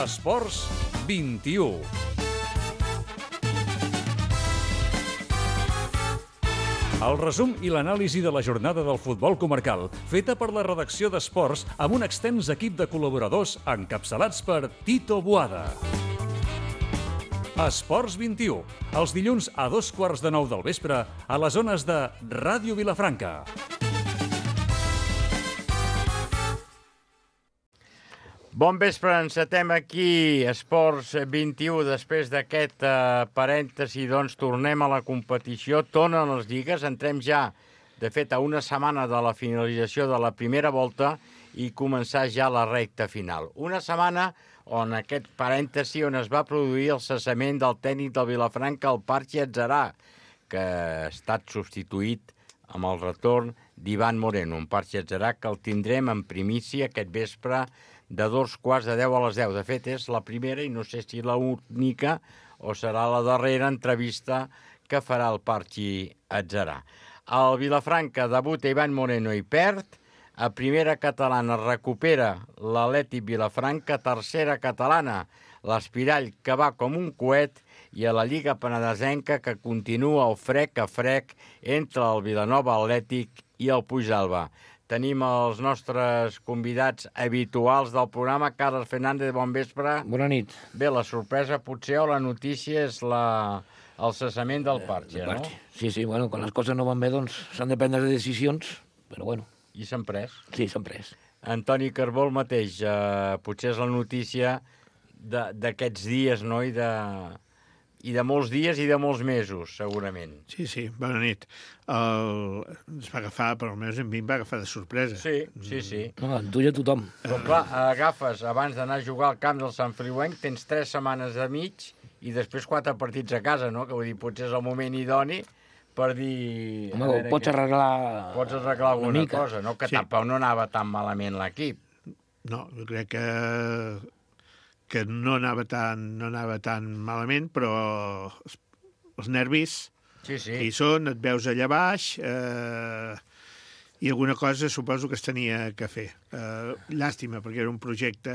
Esports 21. El resum i l'anàlisi de la jornada del futbol comarcal, feta per la redacció d'Esports amb un extens equip de col·laboradors encapçalats per Tito Boada. Esports 21, els dilluns a 8:15 del vespre a les zones de Ràdio Vilafranca. Bon vespre, encetem aquí Esports 21. Després d'aquest parèntesi, doncs, tornem a la competició, tornen les lligues, entrem ja, de fet, a una setmana de la finalització de la primera volta i començar ja la recta final. Una setmana on aquest parèntesi on es va produir el cessament del tècnic del Vilafranca, el Parchi Atzarà, que ha estat substituït amb el retorn d'Ivan Moreno, un Parchi Atzarà que el tindrem en primícia aquest vespre de 9:15 a les 10. De fet, és la primera i no sé si l'única o serà la darrera entrevista que farà el Parchi Atzarà. El Vilafranca debuta Ivan Moreno i perd. A primera catalana recupera l'Atlètic Vilafranca, tercera catalana l'Espirall, que va com un coet, i a la Lliga Penedesenca, que continua el frec a frec entre el Vilanova Atlètic i el Puigdàlber. Tenim els nostres convidats habituals del programa. Carles Fernández, bon vespre. Bona nit. Bé, la sorpresa potser o la notícia és el cessament del Parchi, no? Sí, bueno, quan les coses no van bé, doncs s'han de prendre decisions, però bueno. I s'han pres? Sí, s'han pres. Antoni Carbó, el mateix, potser és la notícia d'aquests dies, no?, i de molts dies i de molts mesos, segurament. Sí, bona nit. Ens va agafar, però almenys a mi em va agafar de sorpresa. Sí. No, en tu i a tothom. Però clar, agafes, abans d'anar a jugar al camp del Sant Feliuenc, tens 3 setmanes de mig i després 4 partits a casa, no? Que vull dir, potser és el moment idoni per dir... Home, pots arreglar... Pots arreglar alguna cosa, no? Que sí. tampoc no anava tan malament l'equip. No, jo crec que no anava tan malament, però els nervis hi són, et veus allà baix, i alguna cosa suposo que es tenia que fer. Llàstima, perquè era un projecte...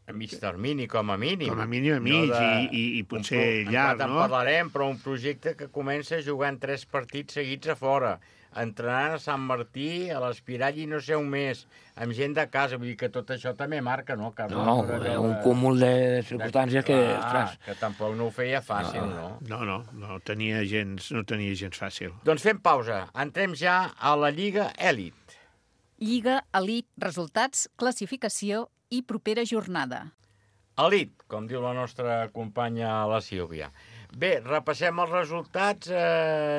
A mig termini, com a mínim. Com a mínim, i potser llarg, no? En parlarem, però un projecte que comença jugant 3 partits seguits a fora, entrenant a Sant Martí, a l'Espirall i no sé on més, amb gent de casa. Vull dir que tot això també marca, no? No, un cúmul de circumstàncies que... Que tampoc no ho feia fàcil, no? No tenia gens fàcil. Doncs fem pausa. Entrem ja a la Lliga Elit. Lliga Elit, resultats, classificació i propera jornada. Elit, com diu la nostra companya la Sílvia. Bé, repassem els resultats,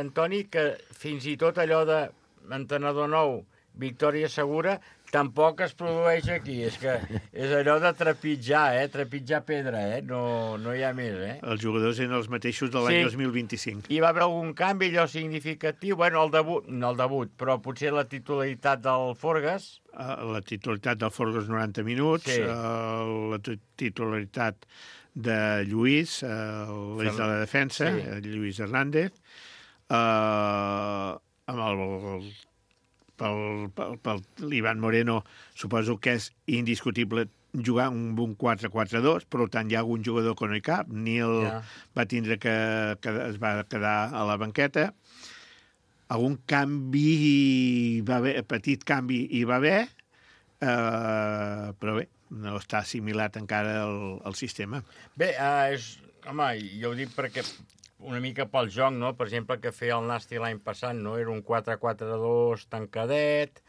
Antoni, que fins i tot allò d'entrenador nou, victòria segura, tampoc es produeix aquí. És que és allò de trepitjar, trepitjar pedra, no hi ha més, Els jugadors eren els mateixos de l'any 2025. Hi va haver algun canvi allò significatiu? Bueno, no el debut, però potser la titularitat del Forgas. La titularitat del Forgas 90 minuts, la titularitat de Lluís, l'eix de la defensa, Lluís Hernández, amb pel l'Ivan Moreno, suposo que és indiscutible jugar un 4-4-2, per tant hi ha algun jugador que no hi cap. Nil va tindre que es va quedar a la banqueta. Algun canvi va haver, petit canvi hi va haver, però bé, no està assimilat encara el sistema. Bé, home, jo ho dic perquè una mica pel joc, no? Per exemple, que feia el Nasti l'any passat, no? Era un 4-4-2 tancadet,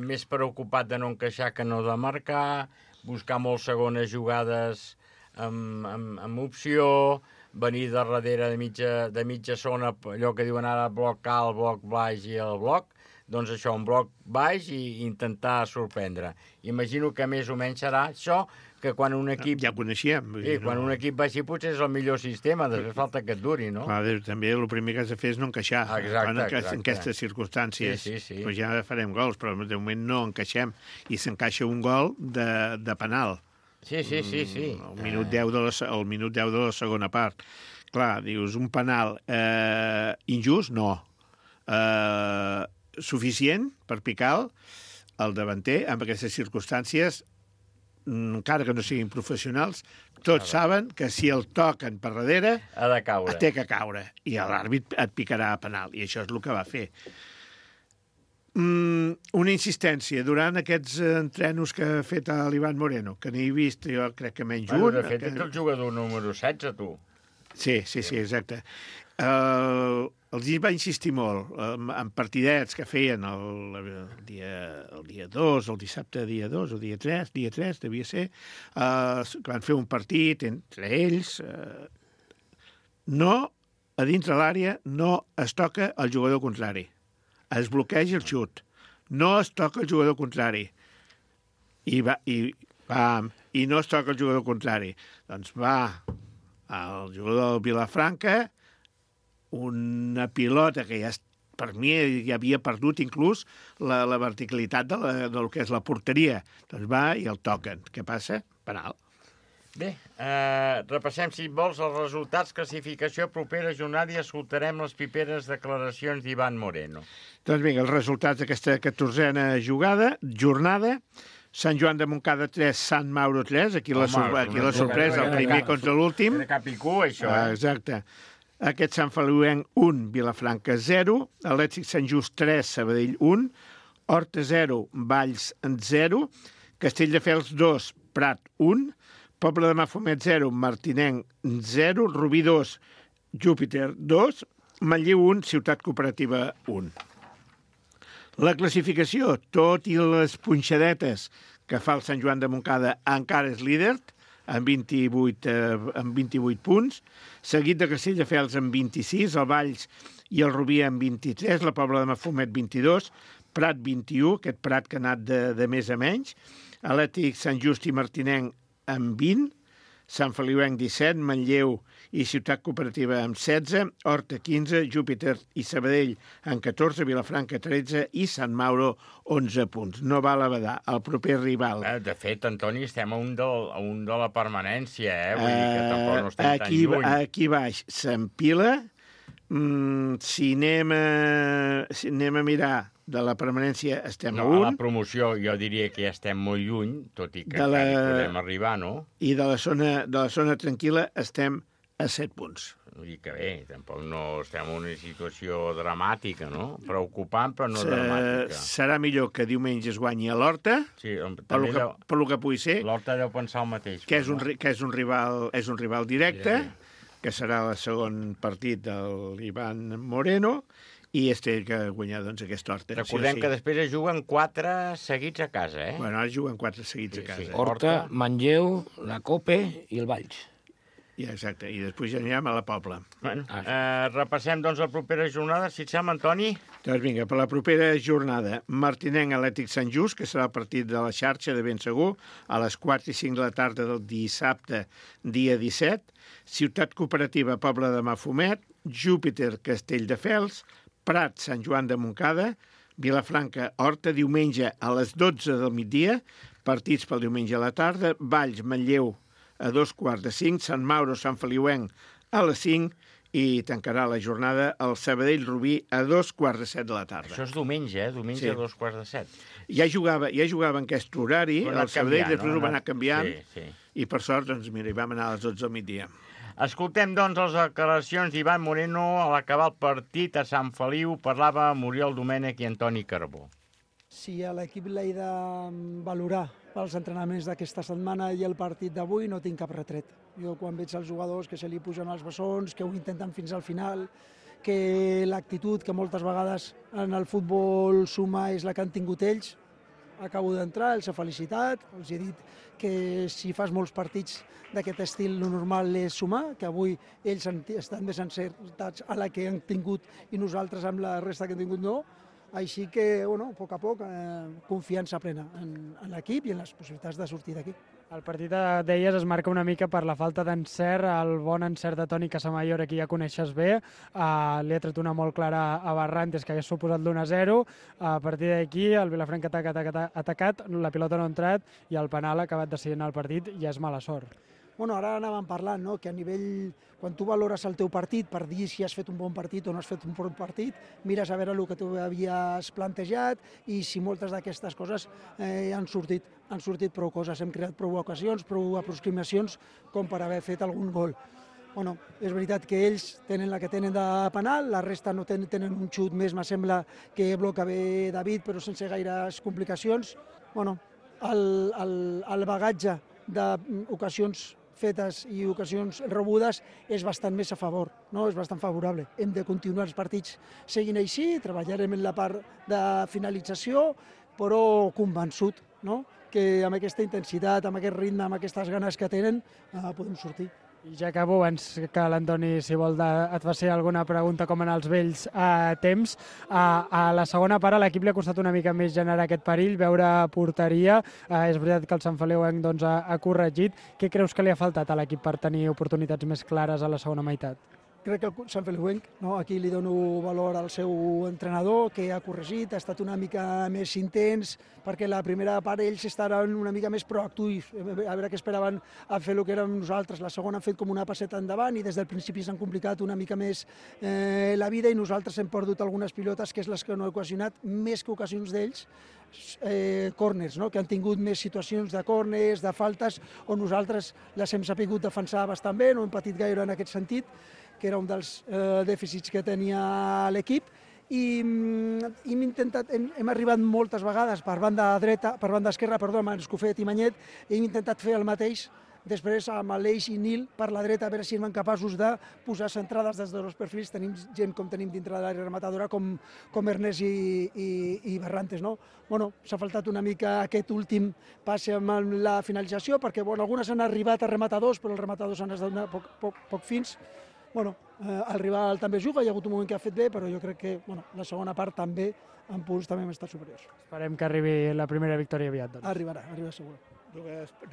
més preocupat de no encaixar que no de marcar, buscar molt segones jugades amb opció, venir de darrere de mitja zona, allò que diuen ara bloc alt, bloc baix i el bloc, doncs això, un bloc baix i intentar sorprendre. Imagino que més o menys serà això, que quan un equip... Ja ho coneixíem. Sí, quan un equip va així potser és el millor sistema, després falta que et duri, no? Clar, també el primer que has de fer és no encaixar. Exacte. En aquestes circumstàncies. Sí. Però ja farem gols, però de moment no encaixem. I s'encaixa un gol de penal. Sí. El minut 10 de la segona part. Clar, dius, un penal injust? No. Suficient per picar el davanter amb aquestes circumstàncies? encara que no siguin professionals, tots saben que si el toquen per darrere, Ha de caure. té que caure, i l'àrbit et picarà a penal, i això és el que va fer. Una insistència durant aquests entrenos que ha fet l'Ivan Moreno, que n'he vist, jo crec que menys un. De fet, ets el jugador número 16, tu. Sí, exacte. Els va insistir molt en partidets que feien el dia 2, el dissabte dia 2 o dia 3 devia ser, que van fer un partit entre ells. A dins de l'àrea no es toca el jugador contrari. Es bloqueja el xut. No es toca el jugador contrari. I no es toca el jugador contrari. Doncs va el jugador del Vilafranca, una pilota que ja, per mi ja havia perdut inclús la verticalitat del que és la porteria. Doncs va i el toquen. Què passa? Penal. Bé, repassem, si vols, els resultats, classificació, propera jornada, i escoltarem les piperes declaracions d'Ivan Moreno. Doncs vinga, els resultats d'aquesta 14a jornada. Sant Joan de Montcada 3, Sant Mauro 3. Aquí la sorpresa, el primer contra l'últim. De cap i cua, això, Exacte. Aquest Sant Feliuenc 1, Vilafranca 0. Atlètic Sant Just 3, Sabadell 1. Horta 0, Valls 0. Castelldefels 2, Prat 1. Poble de Mafumet 0, Martinenc 0, Rubí 2, Júpiter 2, Manlleu 1, Ciutat Cooperativa 1. La classificació, tot i les punxadetes que fa el Sant Joan de Montcada, encara és líder, amb 28 punts, seguit de Castelldefels amb 26, el Valls i el Rubí amb 23, la Pobla de Mafumet 22, Prat 21, aquest Prat que ha anat de més a menys, Atlètic Sant Just i Martinenc amb 20, Sant Feliuenc 17, Manlleu i Ciutat Cooperativa amb 16, Horta 15, Júpiter i Sabadell amb 14, Vilafranca 13 i Sant Mauro 11 punts. No val a badar. El proper rival... De fet, Antoni, estem a un de la permanència, Vull dir que tampoc no estem tan lluny. Aquí baix s'empila. Si anem a mirar de la permanència, estem a 1. A la promoció jo diria que ja estem molt lluny, tot i que podem arribar, no? I de la zona tranquil·la estem a 7 punts. Vull dir que bé, tampoc no estem en una situació dramàtica, no? Preocupant, però no dramàtica. Serà millor que diumenge es guanyi a l'Horta, sí, per lo que pugui ser. L'Horta deu pensar el mateix. Que és un rival directe, que serà el segon partit de l'Ivan Moreno, i té que guanyar aquesta Horta. Recordem que després es juguen 4 seguits a casa, Bueno, ara juguen 4 seguits a casa. Horta, Manlleu, la Cope i el Valls. Ja, exacte, i després ja anirem a la Pobla. Bueno, repassem, doncs, la propera jornada, si et sembla, Antoni? Doncs vinga, per la propera jornada, Martinenc Atlètic Sant Just, que serà el partit de la xarxa de ben segur, a les 4 i 5 de la tarda del dissabte, dia 17, Ciutat Cooperativa Pobla de Mafumet, Júpiter Castelldefels, Prat Sant Joan de Montcada, Vilafranca Horta, diumenge a les 12 del migdia, partits pel diumenge a la tarda, Valls Manlleu a 2:45, Sant Mauro Sant Feliuenc a les 5 i tancarà la jornada el Sabadell Rubí a 2:45 de la tarda. Això és diumenge, Diumenge Sí. a 2:45. Ja jugava en aquest horari, el Sabadell després ho va anar canviant, Sí. i per sort, doncs mira, hi vam anar a les 12 del migdia. Escoltem, doncs, les declaracions d'Ivan Moreno a l'acabar el partit a Sant Feliu. Parlava Muriel Domènech i Antoni Carbó. Si a l'equip l'he de valorar pels entrenaments d'aquesta setmana i el partit d'avui, no tinc cap retret. Jo quan veig els jugadors que se li pugen els bessons, que ho intenten fins al final, que l'actitud que moltes vegades en el futbol suma és la que han tingut ells, acabo d'entrar, els he felicitat, els he dit que si fas molts partits d'aquest estil, el normal és sumar, que avui ells estan més encertats a la que han tingut i nosaltres amb la resta que han tingut no. Així que, bueno, a poc a poc, confiança plena en l'equip i en les possibilitats de sortir d'aquí. El partit, deies, es marca una mica per la falta d'encert, el bon encert de Toni Casamayor, que ja coneixes bé. Li ha tret una molt clara a Barrantes, que hagués suposat l'1-0. A partir d'aquí, el Vilafranca ha atacat, la pilota no ha entrat i el penal ha acabat decidint el partit i és mala sort. Bueno, ara anàvem parlant, no?, que a nivell, quan tu valores el teu partit per dir si has fet un bon partit o no has fet un bon partit, mires a veure el que tu havies plantejat i si moltes d'aquestes coses han sortit prou coses. Hem creat prou ocasions, prou aproximacions com per haver fet algun gol. Bueno, és veritat que ells tenen la que tenen de penal, la resta no tenen un xut més, me sembla que bloca bé David, però sense gaires complicacions. Bueno, el bagatge d'ocasions fetes i ocasions rebudes és bastant més a favor, no? És bastant favorable. Hem de continuar els partits seguint així, treballarem en la part de finalització, però convençut, no?, que amb aquesta intensitat, amb aquest ritme, amb aquestes ganes que tenen, podem sortir. I ja acabo, abans que l'Antoni, si vol, et faci alguna pregunta com en els vells temps. A la segona part a l'equip li ha costat una mica més generar aquest perill, veure porteria. És veritat que el Sant Feliuenc ha corregit. Què creus que li ha faltat a l'equip per tenir oportunitats més clares a la segona meitat? Crec que el Sant Feliuenc, no? Aquí li dono valor al seu entrenador, que ha corregit, ha estat una mica més intens, perquè la primera part ells estaven una mica més proactius, a veure què esperaven a fer el que érem nosaltres. La segona han fet com una passeta endavant i des del principi s'han complicat una mica més la vida i nosaltres hem perdut algunes pilotes, que és les que no he ocasionat, més que ocasions d'ells, córners, no?, que han tingut més situacions de córners, de faltes, on nosaltres les hem sabut defensar bastant bé, no hem patit gaire en aquest sentit, que era un dels dèficits que tenia l'equip, i hem arribat moltes vegades per banda esquerra, amb Escofet i Manyet, i hem intentat fer el mateix després amb l'Eix i Nil per la dreta, a veure si eren capaços de posar centrades des dels dos perfils. Tenim gent com tenim dintre de l'àrea rematadora, com Ernest i Barrantes, no? Bueno, s'ha faltat una mica aquest últim passe amb la finalització, perquè algunes han arribat a rematadors, però els rematadors han estat poc fins. Bueno, el rival també juga, hi ha hagut un moment que ha fet bé, però jo crec que la segona part també, en punts, també hem estat superiors. Esperem que arribi la primera victòria aviat. Doncs. Arribarà segur.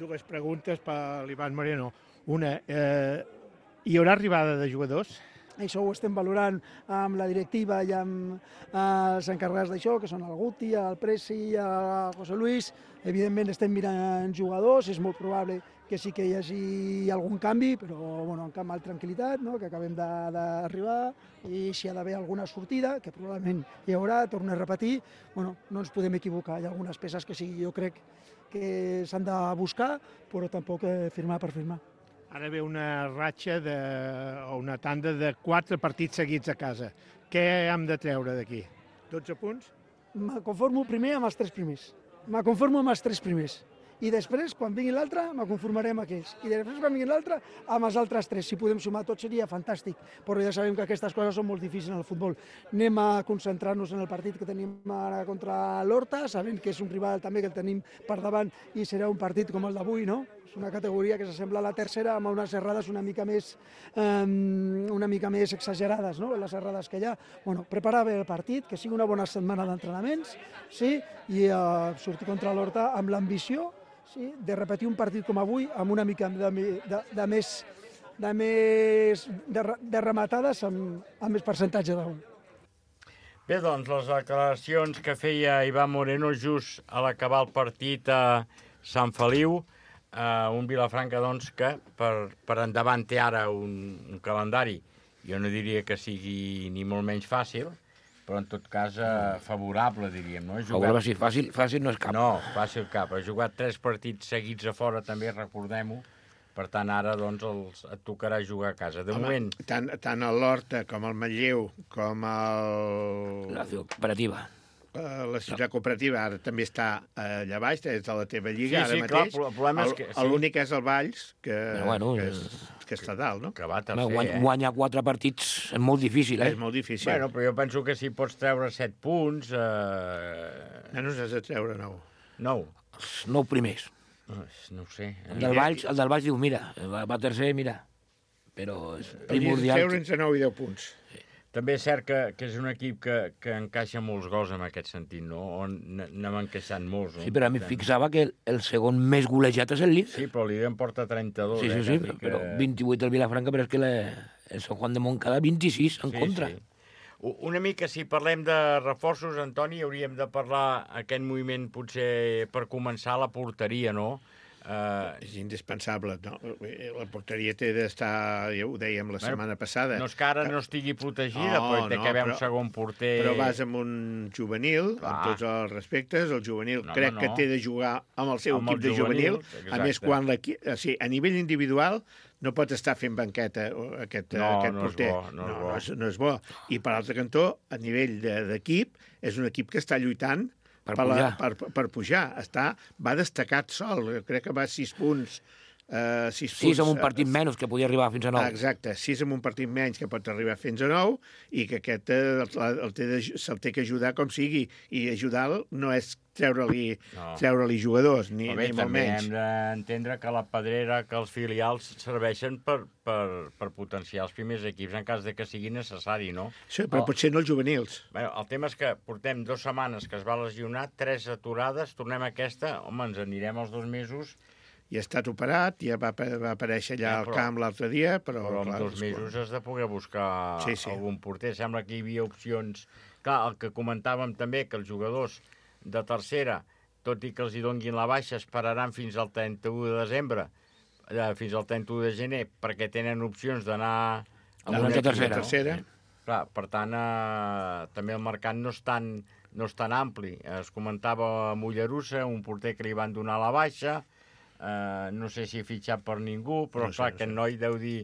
Dues preguntes per l'Ivan Moreno. Una, hi haurà arribada de jugadors? Això ho estem valorant amb la directiva i amb els encarregats d'això, que són el Guti, el Presi, el José Luis. Evidentment estem mirant jugadors, és molt probable que sí que hi hagi algun canvi, però amb tranquil·litat, no?, que acabem d'arribar, i si hi ha d'haver alguna sortida, que probablement hi haurà, torno a repetir, no ens podem equivocar. Hi ha algunes peces que sí, jo crec que s'han de buscar, però tampoc firmar per firmar. Ara ve una ratxa o una tanda de 4 partits seguits a casa. Què hem de treure d'aquí? 12 punts? Me conformo primer amb els 3 primers. I després, quan vingui l'altre, me conformaré amb aquells. I després, quan vingui l'altre, amb els altres 3. Si podem sumar tot seria fantàstic, però ja sabem que aquestes coses són molt difícils en el futbol. Anem a concentrar-nos en el partit que tenim ara contra l'Horta, sabent que és un rival també que el tenim per davant i serà un partit com el d'avui, no? És una categoria que s'assembla a la tercera, amb unes errades una mica més exagerades, no?, les errades que hi ha. Preparar bé el partit, que sigui una bona setmana d'entrenaments, sí, i sortir contra l'Horta amb l'ambició, sí, de repetir un partit com avui amb una mica de rematades amb més percentatge de gol. Bé, doncs, les declaracions que feia Ivan Moreno just a l'acabar el partit a Sant Feliu, un Vilafranca, doncs, que per endavant té ara un calendari, jo no diria que sigui ni molt menys fàcil, però en tot cas favorable, diríem, no? Favorable, sí, fàcil no és cap. No, fàcil cap. Ha jugat 3 partits seguits a fora, també, recordem-ho. Per tant, ara, doncs, et tocarà jugar a casa. De moment... Tant el l'Horta com el Manlleu, com la cooperativa. La ciutat cooperativa ara també està allà baix, és de la teva lliga, ara mateix. Clar, el problema és que... L'únic és el Valls, que està dalt, no? Que va tercer, Guanyar 4 partits és molt difícil, És molt difícil. Bueno, però jo penso que si pots treure 7 punts... No has de treure 9. 9. Els 9 primers. No ho sé. El del Valls diu, mira, va tercer, mira. Però és primordial. Treure'ns a 9 i 10 punts. També és cert que és un equip que encaixa molts gols en aquest sentit, no? On n'hem encaixat molts. No? Sí, però a mi fixava que el segon més golejat és el líder. Sí, però el líder en porta 32. Sí, però 28 el Vilafranca, però és que el Sant Juan de Montcada 26 en contra. Sí. Una mica, si parlem de reforços, Antoni, hauríem de parlar aquest moviment, potser per començar, la porteria, no? És indispensable. No? La porteria té d'estar, ja ho dèiem la setmana passada. No és que ara no estigui protegida, però té que haver un segon porter... Però vas amb un juvenil, amb tots els respectes, el juvenil que té de jugar amb el seu equip de juvenil, a més, quan a nivell individual no pot estar fent banqueta aquest porter. No és bo. I per l'altre cantó, a nivell d'equip, és un equip que està lluitant per pujar. Va destacat sol. Crec que va 6 punts. 6 amb un partit menys, que podia arribar fins a 9. Exacte, 6 amb un partit menys, que pot arribar fins a 9, i que aquest se'l té que ajudar com sigui. I ajudar-lo no és treure-li jugadors, ni molt menys. També hem d'entendre que la Pedrera, que els filials serveixen per potenciar els primers equips en cas de que sigui necessari, no? Sí, però potser no els juvenils. El tema és que portem 2 setmanes que es va lesionar, 3 aturades, tornem a aquesta, home, ens anirem els 2 mesos. I ha estat operat, ja va aparèixer allà al camp l'altre dia, però en 2 mesos has de poder buscar algun porter. Sembla que hi havia opcions. Clar, el que comentàvem també, que els jugadors de tercera, tot i que els hi donguin la baixa, esperaran fins al 31 de desembre, fins al 31 de gener, perquè tenen opcions d'anar a una tercera. Clar, per tant, també el mercat no és tan ampli. Es comentava a Mollerussa, un porter que li van donar la baixa, no sé si he fitxat per ningú, però clar, aquest noi deu dir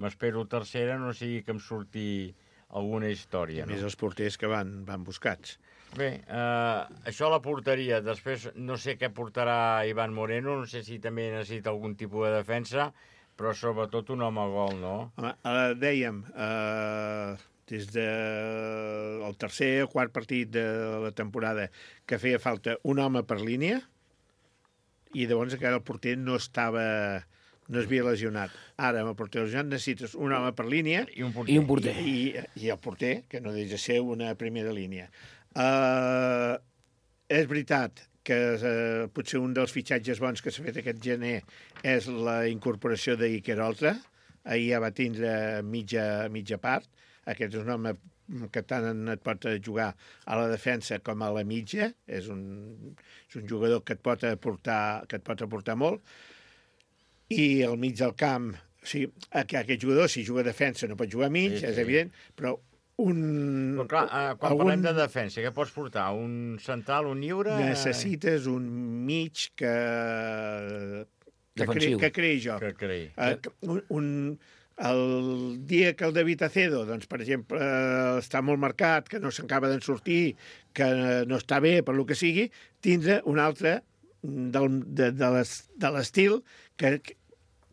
m'espero tercera, no sigui que em surti alguna història. A més, els porters que van buscats. Bé, això a la porteria. Després no sé què portarà Iván Moreno, no sé si també necessita algun tipus de defensa, però sobretot un home gol, no? Dèiem, des del tercer o quart partit de la temporada, que feia falta un home per línia, i llavors encara el porter no s'havia lesionat. Ara, amb el porter lesionat, necessites un home per línia i un porter. I el porter, que no deixa de ser una primera línia. És veritat que potser un dels fitxatges bons que s'ha fet aquest gener és la incorporació d'Iker Oltra. Ahir ja va tindre mitja part. Aquest és un home que tant et pot jugar a la defensa com a la mitja. És un jugador que et pot aportar molt. I al mig del camp, aquest jugador, si juga a defensa, no pot jugar a mig, és evident, però Però clar, quan parlem de defensa, què pots portar? Un central, un lliure? Necessites un mig que creï joc. El dia que el David Acedo, doncs, per exemple, està molt marcat, que no s'acaba d'en sortir, que no està bé per lo que sigui, tindre un altre de l'estil que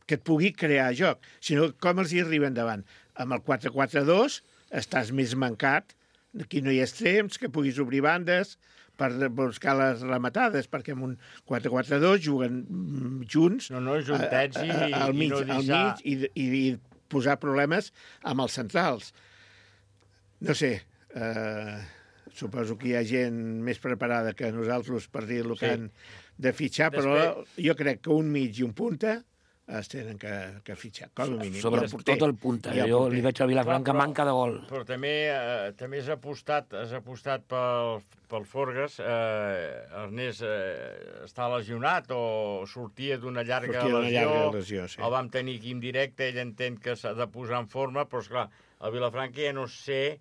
et pugui crear joc. Si no, com els hi arriben davant? Amb el 4-4-2 estàs més mancat, aquí no hi ha extrems, que puguis obrir bandes per buscar les rematades, perquè amb un 4-4-2 juguen junts juntets al mig i posar problemes amb els centrals. No sé, suposo que hi ha gent més preparada que nosaltres per dir el que han de fitxar, però jo crec que un mig i un punta es tenen que fitxar, com a mínim. Sobretot el punta. Jo li veig al Vilafranca manca de gol. Però també has apostat pel Forgas. Ernest està lesionat o sortia d'una llarga lesió. El vam tenir aquí en directe, ell entén que s'ha de posar en forma, però esclar, el Vilafranca ja no sé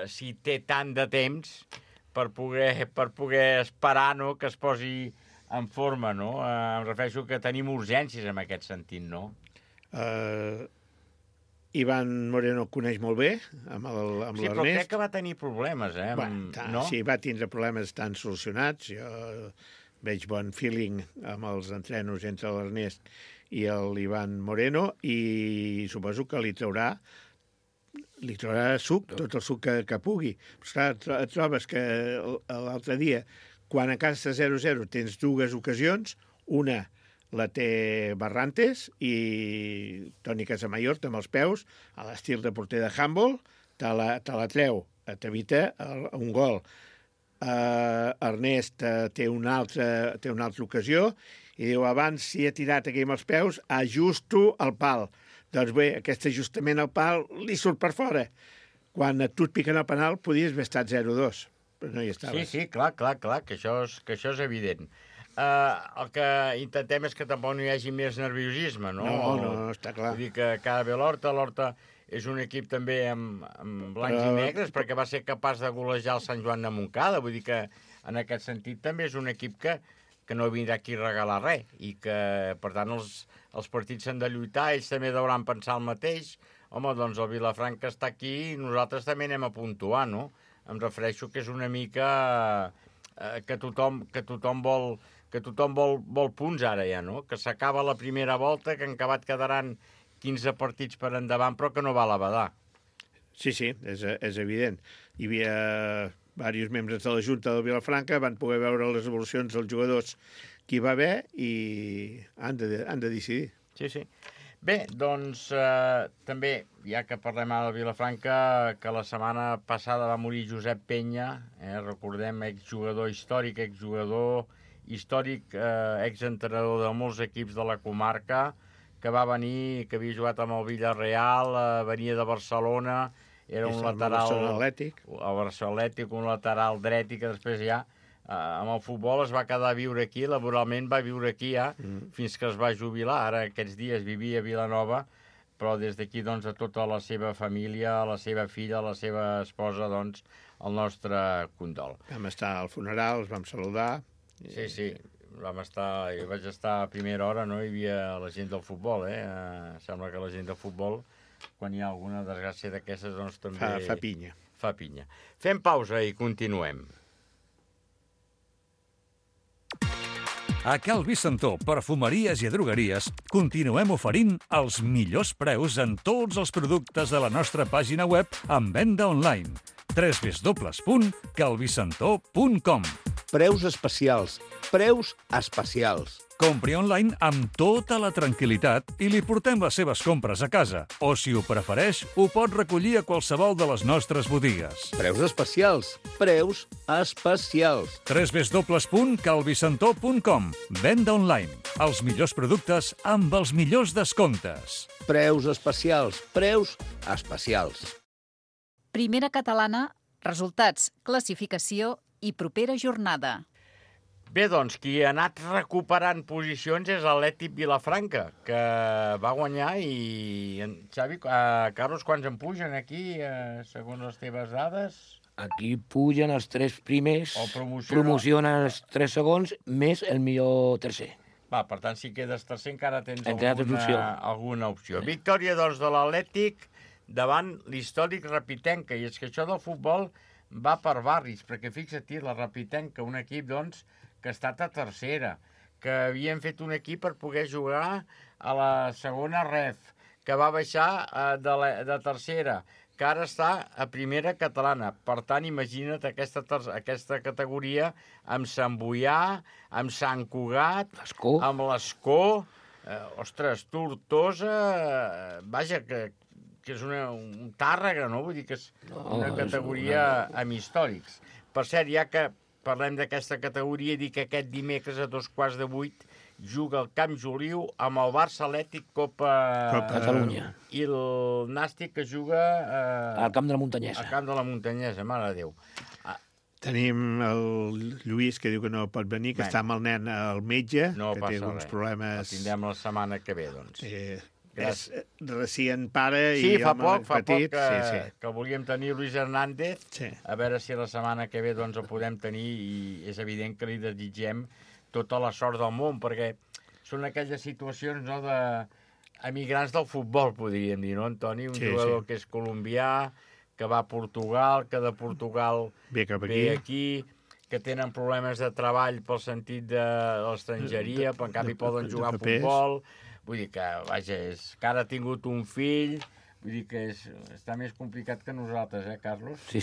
si té tant de temps per poder esperar, no?, que es posi en forma, no? Em refereixo que tenim urgències en aquest sentit, no? Iván Moreno el coneix molt bé, amb l'Ernest. Sí, però crec que va tenir problemes, no? Sí, va tindre problemes tan solucionats. Jo veig bon feeling amb els entrenos entre l'Ernest i l'Iván Moreno, i suposo que li traurà suc, tot el suc que pugui. Però esclar, et trobes que l'altre dia, quan a casa 0-0 tens dues ocasions, una la té Barrantes i Toni Casamayor amb els peus, a l'estil de porter de handball, te la treu, t'evita un gol. Ernest té una altra ocasió i diu, abans si he tirat aquí amb els peus, ajusto el pal. Doncs bé, aquest ajustament al pal li surt per fora. Quan a tu et piquen el penal, podies haver estat 0-2. Però no hi estaves. Sí, clar, que això és evident. el que intentem és que tampoc no hi hagi més nerviosisme, no? No, està clar. Vull dir que cada ve l'Horta és un equip també amb blancs i negres, perquè va ser capaç de golejar el Sant Joan de Montcada, vull dir que en aquest sentit també és un equip que no vindrà aquí a regalar res, i que, per tant, els partits s'han de lluitar, ells també deuran pensar el mateix. Home, doncs el Vilafranca està aquí i nosaltres també anem a puntuar, no? Em refereixo que és una mica que tothom vol punts ara ja, no? Que s'acaba la primera volta, que en acabat quedaran 15 partits per endavant, però que no val a badar. Sí, és evident. Hi havia diversos membres de la Junta del Vilafranca, van poder veure les evolucions dels jugadors que hi va haver i han de decidir. Sí. Bé, doncs també, ja que parlem ara del Vilafranca, que la setmana passada va morir Josep Penya, recordem, exjugador històric, exentrenador de molts equips de la comarca, que va venir, que havia jugat amb el Villarreal, venia de Barcelona, era un lateral... El Barcelona Atlètic, un lateral dret, i que després ja, amb el futbol es va quedar a viure aquí, laboralment va viure aquí ja, fins que es va jubilar. Ara aquests dies vivia a Vilanova, però des d'aquí, doncs, a tota la seva família, a la seva filla, a la seva esposa, doncs, el nostre condol. Vam estar al funeral, els vam saludar. Sí. Jo vaig estar a primera hora, no hi havia la gent del futbol, Sembla que la gent del futbol, quan hi ha alguna desgràcia d'aquestes, doncs també... Fa pinya. Fa pinya. Fem pausa i continuem. A Cal Vicentó, perfumeries i drogueries, continuem oferint els millors preus en tots els productes de la nostra pàgina web en venda online. www.calvicentó.com. Preus especials. Preus especials. Compri online amb tota la tranquil·litat i li portem les seves compres a casa. O, si ho prefereix, ho pot recollir a qualsevol de les nostres botigues. Preus especials. Preus especials. www.calvicentó.com. Venda online. Els millors productes amb els millors descomptes. Preus especials. Preus especials. Primera catalana, resultats, classificació i propera jornada. Bé, doncs, qui ha anat recuperant posicions és l'Atlètic Vilafranca, que va guanyar i... Xavi, Carlos, quants en pugen aquí, segons les teves dades? Aquí pugen els 3 primers, O promocionen els 3 segons, més el millor tercer. Va, per tant, si quedes tercer encara tens alguna opció. Victòria, doncs, de l'Atlètic davant l'històric Rapitenca. I és que això del futbol va per barris, perquè fixa't, la Rapitenca, un equip, doncs, que ha estat a tercera, que havien fet un equip per poder jugar a la segona ref, que va baixar de tercera, que ara està a primera catalana. Per tant, imagina't aquesta categoria amb Sant Boià, amb Sant Cugat, amb l'Escó, Tortosa, vaja, que és un Tàrrega, no? Vull dir que és una categoria amb històrics. Per cert, ja que parlem d'aquesta categoria, dic que aquest dimecres a 7:15 juga al Camp Joliu amb el Barça Atlètic Copa Catalunya. I el Nàstic que juga al Camp de la Muntanyesa. Al Camp de la Muntanyesa, mare de Déu. Tenim el Lluís, que diu que no pot venir, que està amb el nen al metge, que té alguns problemes... El tindrem la setmana que ve, doncs. És recient pare i fa poc petit. Que volíem tenir Luis Hernández, a veure si la setmana que ve doncs el podem tenir, i és evident que li desitgem tota la sort del món, perquè són aquelles situacions, no, d'emigrants del futbol, podríem dir, no, Antoni? Un jugador que és colombià, que va a Portugal, que de Portugal ve aquí, que tenen problemes de treball pel sentit de l'estrangeria, però en canvi poden jugar a futbol. Vull dir que, vaja, que ara ha tingut un fill, vull dir que està més complicat que nosaltres, Carlos? Sí,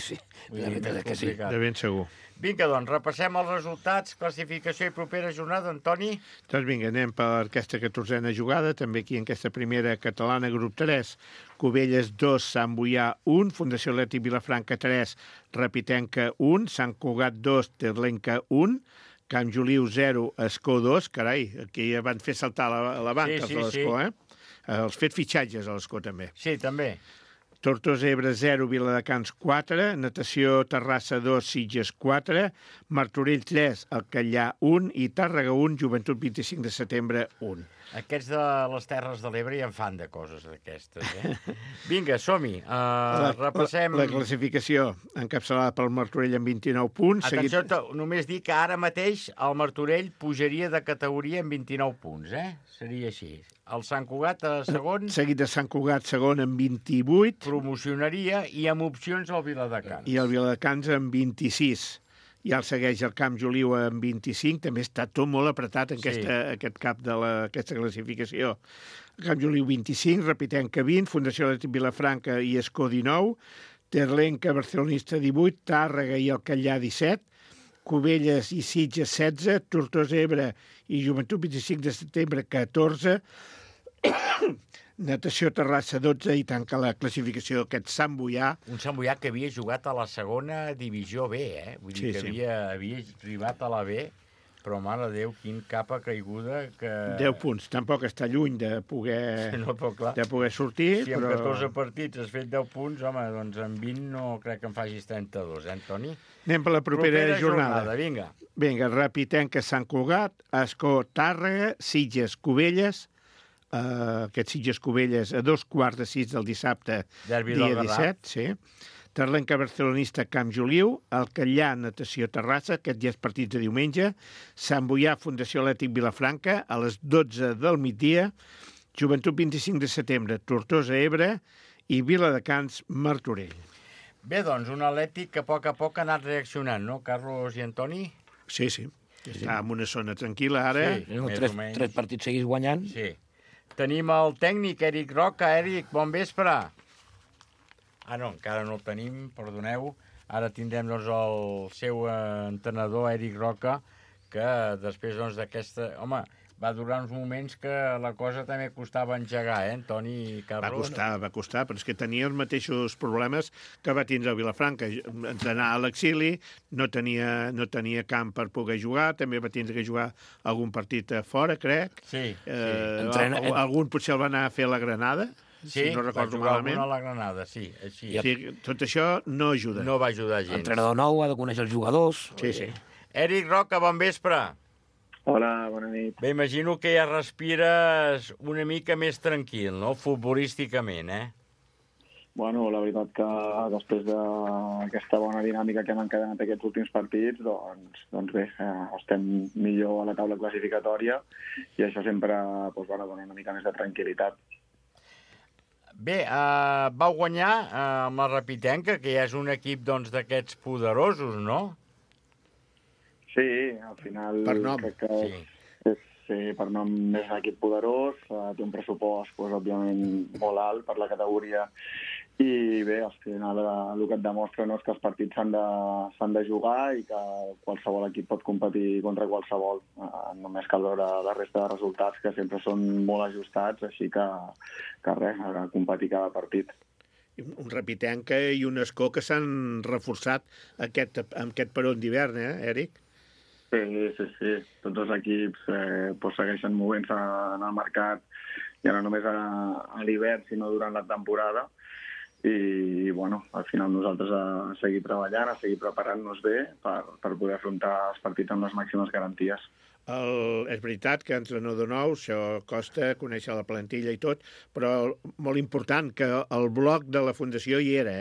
la veritat és que sí. De ben segur. Vinga, doncs, repassem els resultats, classificació i propera jornada, Antoni? Doncs vinga, anem per aquesta 14a jugada, també aquí en aquesta primera catalana, grup 3, Cubelles 2, Sant Boià 1, Fundació Atlètic Vilafranca 3, Rapitenca 1, Sant Cugat 2, Terlenca 1, Camp Joliu 0, Escó 2, carai, aquí ja van fer saltar la banca, els de l'Escó, Els fet fitxatges a l'Escó, també. Sí, també. Tortosa Ebre 0, Viladecans 4, Natació Terrassa 2, Sitges 4, Martorell 3, Alcallà 1 i Tàrrega 1, Joventut 25 de setembre 1. Aquests de les Terres de l'Ebre ja en fan de coses d'aquestes, Vinga, som-hi. Repassem... La classificació encapçalada pel Martorell amb 29 punts. Atenció, només dic que ara mateix el Martorell pujaria de categoria amb 29 punts, Seria així. El Sant Cugat a segon... Seguit de Sant Cugat segon amb 28. Promocionaria i amb opcions al Viladecans. I el Viladecans amb 26. Ja el segueix el Camp Joliu amb 25. També està tot molt apretat en aquest cap d'aquesta classificació. El Camp Joliu 25, Repitenca 20, Fundació Atlètic Vilafranca i Escó 19, Terlenca, Barcelonista 18, Tàrrega i Alcallà 17, Cubelles i Sitges 16, Tortosa Ebre i Joventut 25 de setembre 14, Natació Terrassa 12 i tanca la classificació aquest Sant Boià. Un Sant Boià que havia jugat a la segona divisió B, Vull dir que havia arribat a la B, però, mare de Déu, quin capa caiguda que... 10 punts, tampoc està lluny de poder, de poder sortir. Si amb 14 partits has fet 10 punts, home, doncs amb 20 no crec que en facis 32, Toni? Anem per la propera jornada. Vinga. Vinga, Repitenca, Sant Cugat, Escó, Tàrrega, Sitges, Cubelles, aquest Sitges-Cubelles a 5:15 del dissabte, dia 17, sí. Terlenca, Barcelonista, Camp Joliu, Alcallà, Natació Terrassa, aquest ja és partit de diumenge, Sant Boià, Fundació Atlètic Vilafranca, a les 12 del migdia, Joventut 25 de setembre, Tortosa Ebre i Viladecans, Martorell. Bé, doncs, un Atlètic que a poc ha anat reaccionant, no, Carlos i Antoni? Sí. Està en una zona tranquil·la ara. Sí, tres partits seguits guanyant. Sí. Tenim el tècnic, Eric Roca. Eric, bon vespre. No, encara no el tenim, perdoneu. Ara tindrem doncs, el seu entrenador, Eric Roca, que després d'aquesta... Home, va durar uns moments que la cosa també costava engegar, Antoni i Carlos? Va costar, però és que tenia els mateixos problemes que va tindre a Vilafranca. Entrenar a l'exili, no tenia camp per poder jugar, també va tindre que jugar algun partit a fora, crec. Sí. Algun potser el va anar a fer a la Granada, si no recordo malament. A la Granada, sí. Així. Sí, tot això no ajuda. No va ajudar gens. Entrenador nou, ha de conèixer els jugadors. Sí. Eric Roca, bon vespre. Hola, bona nit. Bé, imagino que ja respires una mica més tranquil, no?, futbolísticament, Bueno, la veritat que després d'aquesta bona dinàmica que hem encadenat aquests últims partits, doncs bé, estem millor a la taula classificatòria i això sempre dona una mica més de tranquil·litat. Bé, vau guanyar amb la Repitenca, que ja és un equip d'aquests poderosos, no? Sí, al final... Per nom. Crec que per nom és un equip poderós, té un pressupost, òbviament, molt alt per la categoria, i bé, al final el que et demostra és que els partits s'han de jugar i que qualsevol equip pot competir contra qualsevol. Només cal veure la resta de resultats, que sempre són molt ajustats, així que res, a competir cada partit. Un Repitenca i un Escó que s'han reforçat amb aquest peron d'hivern, Eric? Sí. Tots els equips segueixen movent-se en el mercat, ja no només a l'hivern, sinó durant la temporada. I, al final nosaltres a seguir treballant, a seguir preparant-nos bé per poder afrontar els partits amb les màximes garanties. És veritat que entrenador nou, això costa conèixer la plantilla i tot, però molt important que el bloc de la Fundació hi era,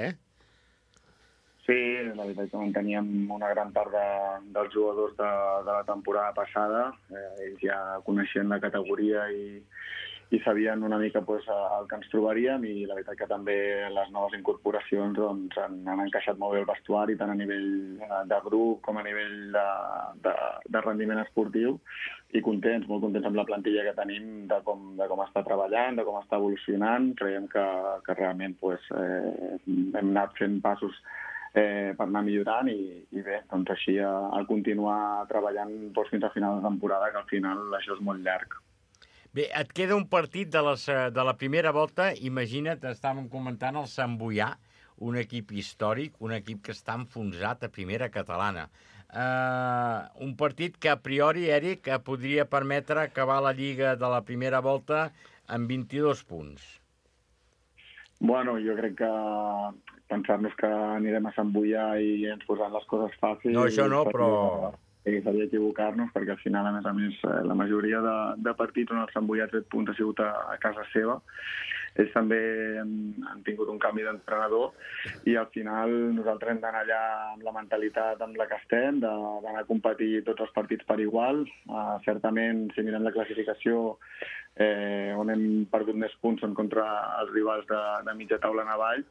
Sí, la veritat que manteníem una gran part dels jugadors de la temporada passada. Ells ja coneixien la categoria i sabien una mica el que ens trobaríem, i la veritat que també les noves incorporacions han encaixat molt bé el vestuari, tant a nivell de grup com a nivell de rendiment esportiu, i molt contents amb la plantilla que tenim, de com està treballant, de com està evolucionant. Creiem que realment hem anat fent passos per anar millorant i bé, doncs així a continuar treballant fins a final de temporada, que al final això és molt llarg. Bé, et queda un partit de la primera volta. Imagina't, estàvem comentant el Sant Boià, un equip històric, un equip que està enfonsat a primera catalana. Un partit que a priori, Eric, podria permetre acabar la Lliga de la primera volta amb 22 punts. Bueno, jo crec que pensar-nos que anirem a Sant Boià i ens posaran les coses fàcils... No, això no, però... Seria equivocar-nos, perquè al final, a més, la majoria de partits on el Sant Boià ha tret punts ha sigut a casa seva. Ells també han tingut un canvi d'entrenador i al final nosaltres hem d'anar allà amb la mentalitat amb la que estem, d'anar a competir tots els partits per igual. Certament, si mirem la classificació, on hem perdut més punts són contra els rivals de mitja taula en avall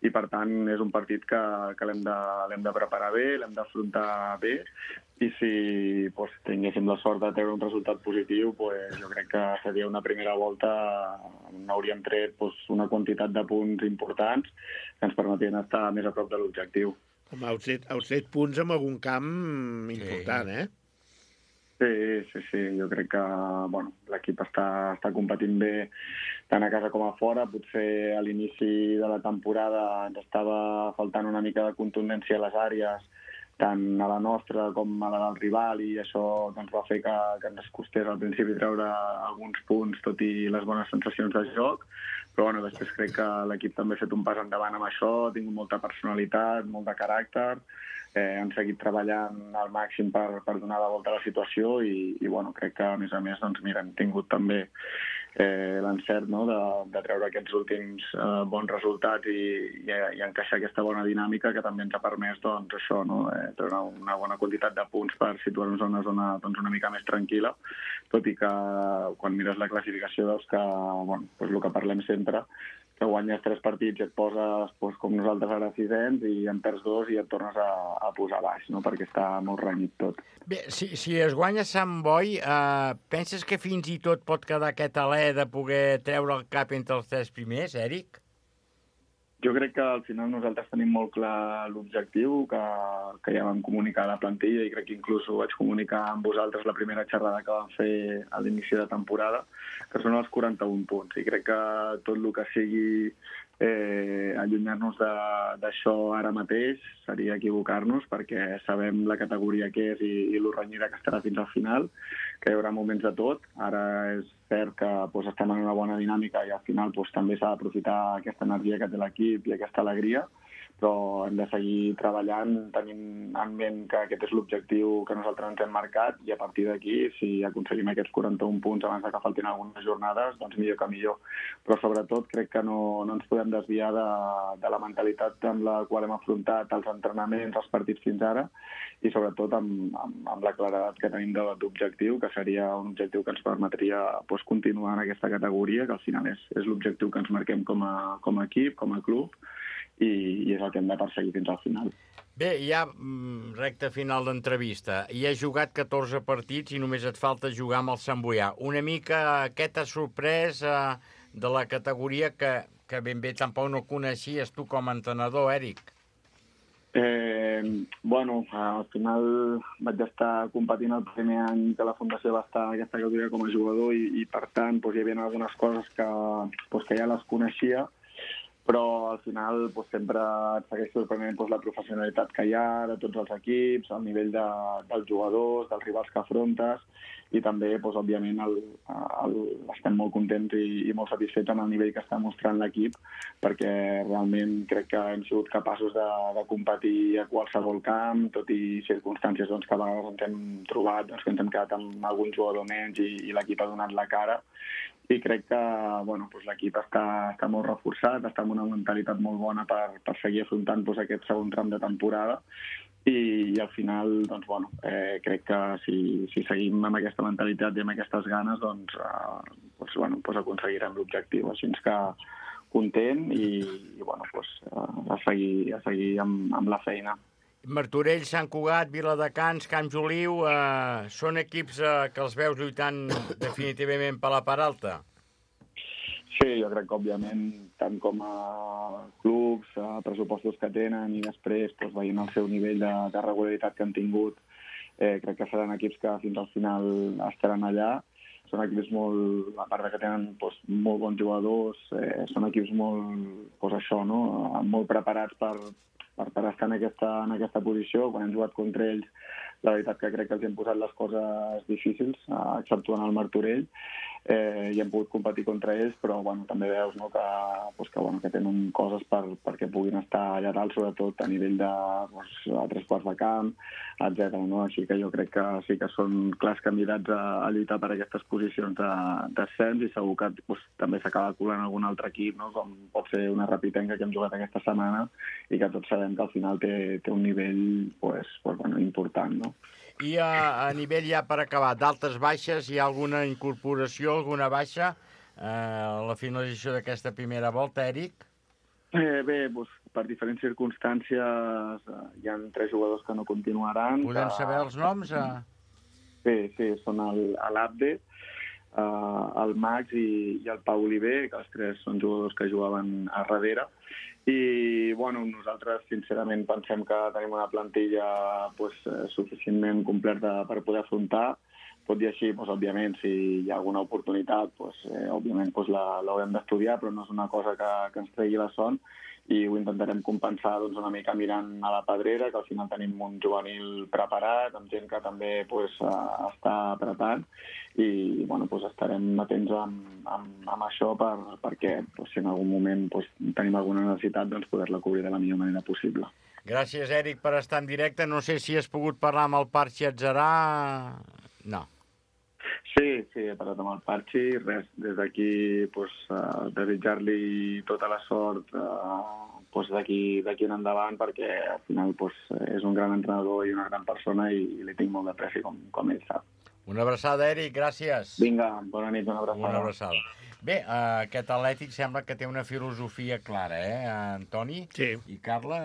i per tant és un partit que l'hem de preparar bé, l'hem d'afrontar bé i si tinguéssim la sort de treure un resultat positiu, jo crec que seria una primera volta on hauríem tret una quantitat de punts importants que ens permetrien estar més a prop de l'objectiu. Home, heu tret punts en algun camp important, Sí, jo crec que l'equip està competint bé tant a casa com a fora. Potser a l'inici de la temporada ens estava faltant una mica de contundència a les àrees, tant a la nostra com a la del rival, i això va fer que ens costés al principi treure alguns punts, tot i les bones sensacions de joc. Però després crec que l'equip també ha fet un pas endavant amb això, ha tingut molta personalitat, molt de caràcter, han seguit treballant al màxim per donar la volta a la situació i crec que, a més, hem tingut també l'encert de treure aquests últims bons resultats i encaixar aquesta bona dinàmica que també ens ha permès treure una bona quantitat de punts per situar-nos en una zona una mica més tranquil·la, tot i que quan mires la classificació veus que el que parlem sempre, que guanyes 3 partits i et poses com nosaltres ara 600 i en perds 2 i et tornes a posar baix, perquè està molt renyit tot. Bé, si es guanya Sant Boi, penses que fins i tot pot quedar aquest alè de poder treure el cap entre els 3 primers, Eric? Jo crec que al final nosaltres tenim molt clar l'objectiu que ja vam comunicar a la plantilla i crec que inclús ho vaig comunicar amb vosaltres la primera xerrada que vam fer a l'inici de temporada, que són els 41 punts. I crec que tot el que sigui allunyar-nos d'això ara mateix seria equivocar-nos, perquè sabem la categoria que és i lo renyida que estarà fins al final, que hi haurà moments de tot. Ara és cert que estem en una bona dinàmica i al final també s'ha d'aprofitar aquesta energia que té l'equip i aquesta alegria, però hem de seguir treballant tenint en ment que aquest és l'objectiu que nosaltres ens hem marcat i a partir d'aquí, si aconseguim aquests 41 punts abans que faltin algunes jornades, doncs millor que millor. Però sobretot crec que no ens podem desviar de la mentalitat amb la qual hem afrontat els entrenaments, els partits fins ara i sobretot amb la claredat que tenim d'objectiu, que seria un objectiu que ens permetria continuar en aquesta categoria, que al final és l'objectiu que ens marquem com a equip, com a club, i és el que hem de perseguir fins al final. Bé, ja recta final d'entrevista. Hi has jugat 14 partits i només et falta jugar amb el Sant Boià. Una mica què t'ha sorprès de la categoria que ben bé tampoc no coneixies tu com a entrenador, Eric? Al final vaig estar competint el primer any que la Fundació va estar en aquesta categoria com a jugador i per tant hi havia algunes coses que ja les coneixia, però al final sempre et segueix sorprenent la professionalitat que hi ha de tots els equips, el nivell dels jugadors, dels rivals que afrontes, i també, òbviament, estem molt contents i molt satisfets amb el nivell que està mostrant l'equip, perquè realment crec que hem sigut capaços de competir a qualsevol camp, tot i circumstàncies que a vegades ens hem trobat, que ens hem quedat amb algun jugador menys i l'equip ha donat la cara. I crec que l'equip està molt reforçat, està amb una mentalitat molt bona per seguir afrontant aquest segon tram de temporada i al final crec que si seguim amb aquesta mentalitat i amb aquestes ganes aconseguirem l'objectiu. Així que content i a seguir amb la feina. Martorell, Sant Cugat, Viladecans, Camp Joliu, són equips que els veus lluitant definitivament per la part alta? Sí, jo crec que, òbviament, tant com a clubs, pressupostos que tenen i després veient el seu nivell de regularitat que han tingut, crec que seran equips que fins al final estaran allà. Són equips a part que tenen molt bons jugadors, són equips molt preparats per estar en aquesta posició. Quan hem jugat contra ells, la veritat que crec que els hem posat les coses difícils, exceptuant el Martorell. i hem pogut competir contra ells, però bueno, també veus, no, que tenen coses perquè puguin estar allà dalt, sobretot a nivell de a 3 quarts de camp, etc. No? Així que jo crec que sí que són clars candidats a lluitar per aquestes posicions d'ascens i segur que també s'acaba colant algun altre equip, no? Com pot ser una Rapitenca que hem jugat aquesta setmana i que tots sabem que al final té un nivell important. No? I a nivell ja per acabar, d'altes baixes, hi ha alguna incorporació, alguna baixa a la finalització d'aquesta primera volta, Eric? Bé, per diferents circumstàncies hi ha 3 jugadors que no continuaran. Podem saber els noms? Sí, són l'Abde, el Max i el Pau Oliver, que els 3 són jugadors que jugaven a darrere. I nosaltres sincerament pensem que tenim una plantilla suficientment completa per poder afrontar. Tot i així, òbviament, si hi ha alguna oportunitat, òbviament l'haurem d'estudiar, però no és una cosa que ens tregui la son i ho intentarem compensar una mica mirant a la pedrera, que al final tenim un juvenil preparat, amb gent que també està apretant i estarem atents amb això perquè si en algun moment tenim alguna necessitat poder-la cobrir de la millor manera possible. Gràcies, Eric, per estar en directe. No sé si has pogut parlar amb el Parchi Atzarà. No. Sí, he parlat amb el Parchi. Res, des d'aquí desitjar-li tota la sort d'aquí en endavant, perquè al final és un gran entrenador i una gran persona i li tinc molt d'apreci, com ell sap. Una abraçada, Eric, gràcies. Vinga, bona nit, una abraçada. Una abraçada. Bé, aquest Atlètic sembla que té una filosofia clara, Antoni? Sí. I Carla?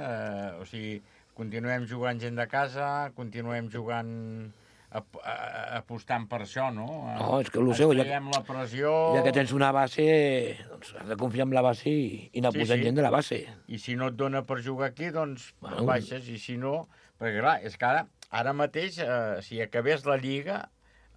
O sigui, continuem jugant gent de casa, continuem jugant apostant per això, no? No, és que ja la pressió... Ja que tens una base, doncs has de confiar en la base i anar posant gent de la base. I si no et dona per jugar aquí, doncs baixes, i si no... Perquè clar, és que ara mateix, si acabés la Lliga,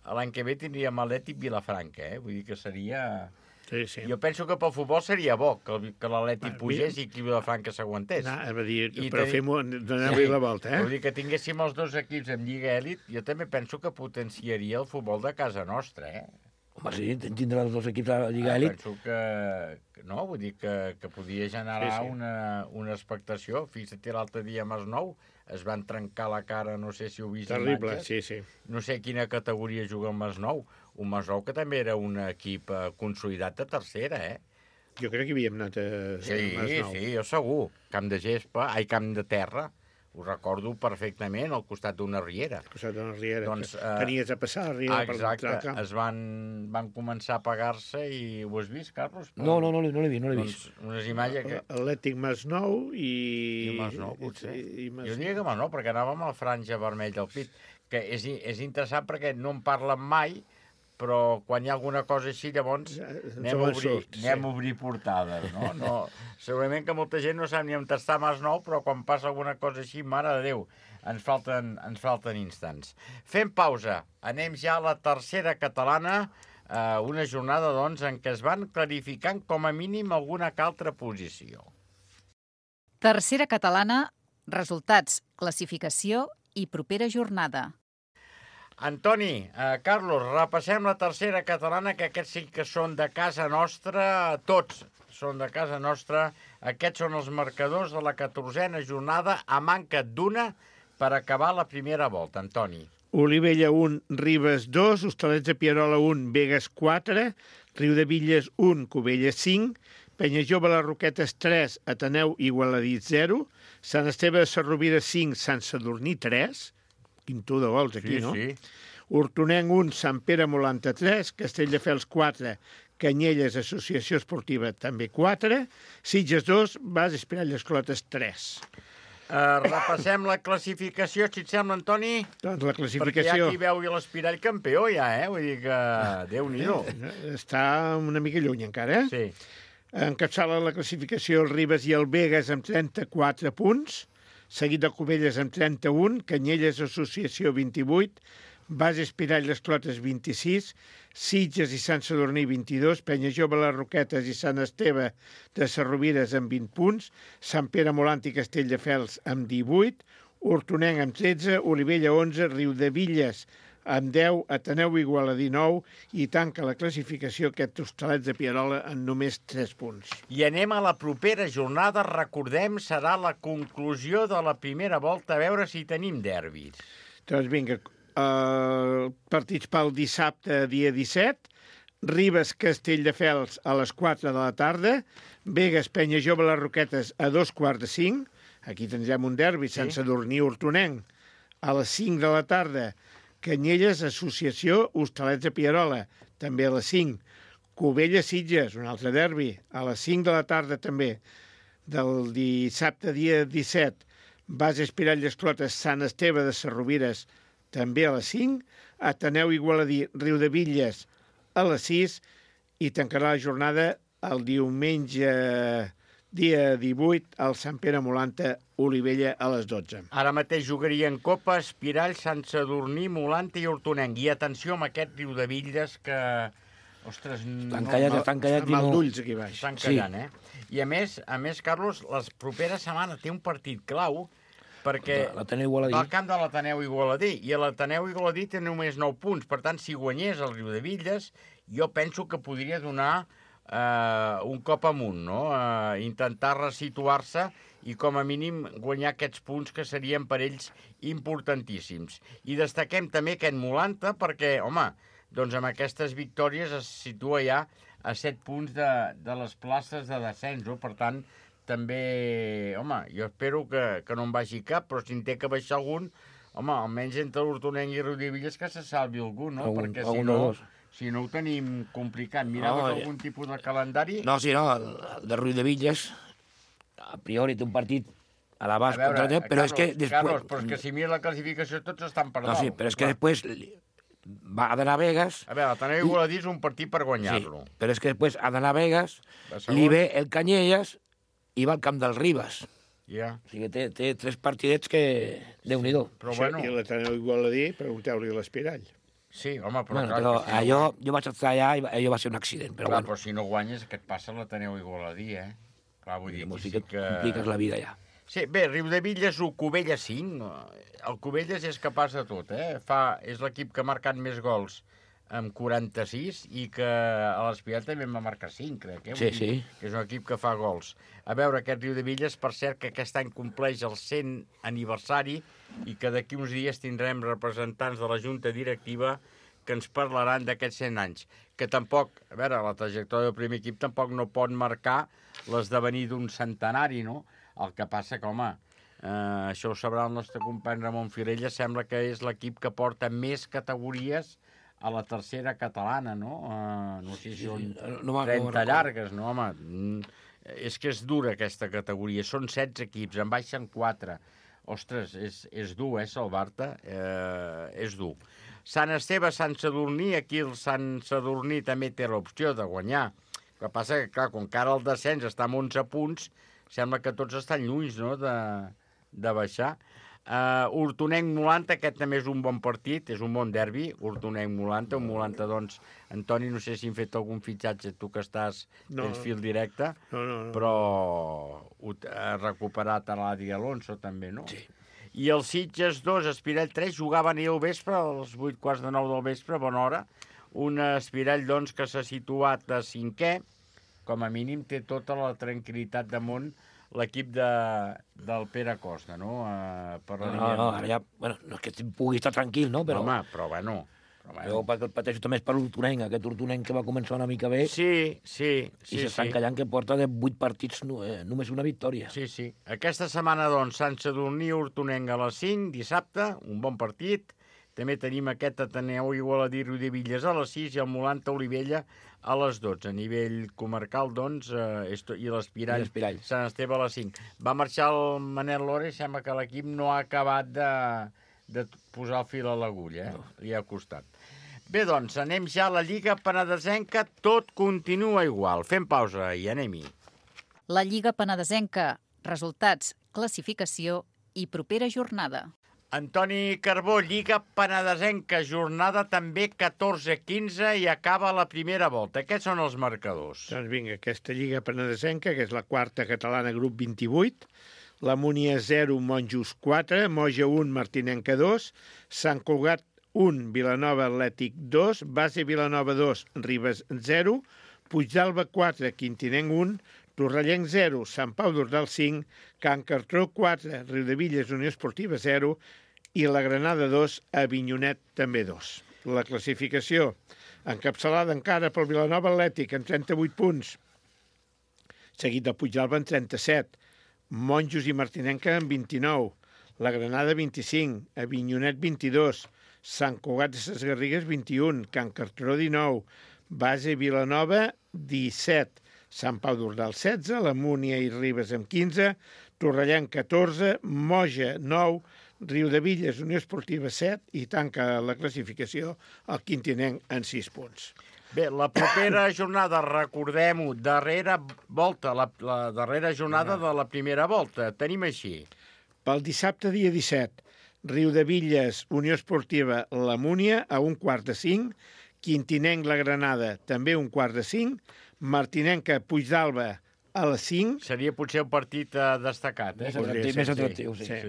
l'any que ve tindríem Atlètic Vilafranca, Vull dir que seria... Sí. Jo penso que pel futbol seria bo que l'Atlètic pugés i que Vilafranca s'aguantés. Però donem-li la volta, Vull dir que tinguéssim els 2 equips en Lliga Èlit, jo també penso que potenciaria el futbol de casa nostra, Home, sí, tindrà els 2 equips a la Lliga Èlit. Penso que no, vull dir que podria generar una expectació. Fixa't, l'altre dia a Masnou es van trencar la cara, no sé si ho vist imatges. Terrible, sí. No sé quina categoria juga el Masnou. Un Masnou que també era un equip consolidat de tercera, Jo crec que havíem anat a Masnou. Sí, jo segur. Camp de terra. Ho recordo perfectament, al costat d'una riera. Al costat d'una riera. Tenies a passar la riera per l'altre camp. Es van començar a pagar-se i ho has vist, Carlos? No l'he vist. Unes imatges que... Atlètic Masnou i... Masnou, potser. Jo diria que Masnou, perquè anàvem a la franja vermella al pit, que és interessant perquè no en parlen mai, però quan hi ha alguna cosa així, llavors anem a obrir portades, no? Segurament que molta gent no sap ni on està Masnou, però quan passa alguna cosa així, mare de Déu, ens falten instants. Fem pausa. Anem ja a la tercera catalana, una jornada, doncs, en què es van clarificant com a mínim alguna altra posició. Tercera catalana, resultats, classificació i propera jornada. Antoni, Carlos, repassem la tercera catalana, que aquests sí que són de casa nostra, tots són de casa nostra. Aquests són els marcadors de la 14a jornada, a manca d'una per acabar la primera volta. Antoni. Olivella 1, Ribes 2, Hostalets de Pierola 1, Begues 4, Riudevilles 1, Cubelles 5, Penyajove les Roquetes 3, Ateneu Igualadit 0, Sant Esteve de Sarrovira 5, Sant Sadurní 3, quinto de gols aquí, no? Sí. Hortonenc 1, Sant Pere Molanta 3, Castelldefels 4, Canyelles Associació Esportiva també 4, Sitges 2, Bas Espirall Esclotes 3. Repassem la classificació, si et sembla, Antoni? Doncs la classificació... Perquè hi ha qui veu l'Espirall campió, Vull dir que... Déu-n'hi-do. Està una mica lluny encara, Sí. Encapçala la classificació el Ribes i el Begues amb 34 punts, seguit de Cubelles amb 31, Canyelles Associació 28, Bas Espirall Esclotes 26, Sitges i Sant Sadurní 22, Penyajove les Roquetes i Sant Esteve de Sarrovires amb 20 punts, Sant Pere Molant i Castelldefels amb 18, Hortonenc amb 13, Olivella 11, Riudevilles amb 10, Ateneu Igualadí 9 i tanca la classificació aquest Hostalets de Pierola en només 3 punts. I anem a la propera jornada, recordem, serà la conclusió de la primera volta, a veure si tenim derbis. Doncs vinga, partits pel dissabte, dia 17, Ribes Castelldefels a les 4 de la tarda, Begues Penya Jove Les Roquetes a 2:45, aquí tindrem un derbi, Sant Sadurní Hortonenc, a les 5 de la tarda, Canyelles, Associació Hostalets de Pierola, també a les 5. Cubelles, Sitges, un altre derbi, a les 5 de la tarda també. Del dissabte, dia 17, Base Espirall d'Esclotes, Sant Esteve de Sarrovires, també a les 5. Ateneu Igualadí, Riudebitlles, a les 6. I tancarà la jornada el diumenge, dia 18, al Sant Pere Molanta, Olivella, a les 12. Ara mateix jugarien Copa, Espirall, Sant Sadurní, Molanta i Hortonenc. I atenció amb aquest Riudebitlles que... Ostres, estan callats mal d'ulls aquí baix. Estan callant, I a més, Carlos, la propera setmana té un partit clau perquè va al camp de l'Ateneu Igualadí i l'Ateneu Igualadí té només 9 punts. Per tant, si guanyés el Riudebitlles, jo penso que podria donar un cop amunt, no? Intentar resituar-se i com a mínim guanyar aquests punts que serien per ells importantíssims. I destaquem també aquest Molanta perquè, home, doncs amb aquestes victòries es situa ja a 7 punts de les places de descens. Per tant, també, home, jo espero que no en vagi cap, però si en té que baixar algun, home, almenys entre l'Hortonenc i Riudebitlles que se salvi algú, no? Perquè si no ho tenim complicat. Miraves algun tipus de calendari? No, el de Riudebitlles, a priori té un partit a l'abast contra el però és que després... Carlos, però és que si mires la classificació tots estan per dalt. No, sí, però és que després va a d'anar a Vegas... A veure, l'Ateneu Igualadí és un partit per guanyar-lo. Sí, però és que després ha d'anar a Vegas, li ve el Canyelles i va al camp del Ribes. Ja. O sigui que té 3 partidets que... Déu-n'hi-do. Però bueno... I l'Ateneu Igualadí, pregunteu-li a l'Espirall. Sí, home, però clar... Però allò, jo vaig estar allà i allò va ser un accident. Però clar, però si no guanyes, què et passa a l'Ateneu Igualadí, Clar, vull dir, aquí sí que compliques la vida ja. Sí, bé, Riudebitlles 1, Cubelles 5. El Cubelles és capaç de tot, És l'equip que ha marcat més gols amb 46 i que a l'Espirall també va marcar 5, crec. Sí. Que és un equip que fa gols. A veure, aquest Riudebitlles, per cert, que aquest any compleix el 100 aniversari i que d'aquí uns dies tindrem representants de la Junta Directiva que ens parlaran d'aquests 100 anys. Que tampoc, a veure, la trajectòria del primer equip tampoc no pot marcar l'esdevenir d'un centenari, no? El que passa que, home, això ho sabrà el nostre company Ramon Firella, sembla que és l'equip que porta més categories a la tercera catalana, no? No sé si són 30 llargues, no, home? És que és dura aquesta categoria. Són 16 equips, en baixen 4. Ostres, és dur, salvar-te? És dur. Sant Esteve, Sant Sadurní, aquí el Sant Sadurní també té l'opció de guanyar. El que passa que, clar, com que ara el descens està amb 11 punts, sembla que tots estan lluny, no?, de baixar. Hortonenc-Molanta, aquest també és un bon partit, és un bon derbi, Hortonenc-Molanta, un Molanta, doncs, Antoni, no sé si han fet algun fitxatge, tu que tens fil directe, però ha recuperat a l'Adi Alonso també, no? Sí. I els Sitges 2, Espirall 3, jugaven ahir al vespre, als 8:45 del vespre, bona hora, un Espirall, doncs, que s'ha situat a 5è, com a mínim té tota la tranquil·litat del món l'equip del Pere Costa, no? Ara ja, bueno, no és que pugui estar tranquil, no? Però... Home, però bueno... Jo pateixo també per l'Hortonenc, aquest Hortonenc que va començar una mica bé. Sí. I s'estan callant que porta de 8 partits només una victòria. Sí. Aquesta setmana, doncs, Sant Sadurní, Hortonenc a les 5, dissabte, un bon partit. També tenim aquest Ateneu Igualadí, Riudebitlles a les 6 i el Molanta Olivella a les 12. A nivell comarcal, doncs, i l'Espirall, Sant Esteve a les 5. Va marxar el Manel Lore, sembla que l'equip no ha acabat de posar el fil a l'agulla, Li ha costat. Bé, doncs, anem ja a la Lliga Penedesenca, tot continua igual. Fem pausa i anem-hi. La Lliga Penedesenca, resultats, classificació i propera jornada. Antoni Carbó, Lliga Penedesenca, jornada també 14-15 i acaba la primera volta. Aquests són els marcadors. Doncs vinga, aquesta Lliga Penedesenca, que és la quarta catalana, grup 28, la Múnia 0, Monjos 4, Moja 1, Martinenca 2, Sant Cugat 1, Vilanova Atlètic 2, Base Vilanova 2, Ribes 0, Puigdàlber 4, Quintinenc 1, Torrellenc 0, Sant Pau d'Ordal 5, Can Cartró 4, Riudebitlles Unió Esportiva 0 i la Granada 2, Avinyonet també 2. La classificació, encapçalada encara pel Vilanova Atlètic amb 38 punts, seguit del Puigdàlber amb 37, Monjos i Martinenca amb 29, la Granada 25, Avinyonet 22, Sant Cugat de ses Garrigues 21, Can Cartró 19, Base Vilanova 17, Sant Pau d'Ordal 16, la Múnia i Ribes amb 15, Torrellenc 14, Moja 9, Riudebitlles Unió Esportiva 7 i tanca la classificació el Quintinenc en 6 punts. Bé, la propera jornada, recordem-ho, darrera volta, la darrera jornada de la primera volta. Tenim així. Pel dissabte, dia 17, Riudebitlles Unió Esportiva La Múnia a 1:45, Quintinenc La Granada també 1:45, Martinenca Puigdàlber a les 5. Seria potser un partit destacat, eh? Més atractiu, sí.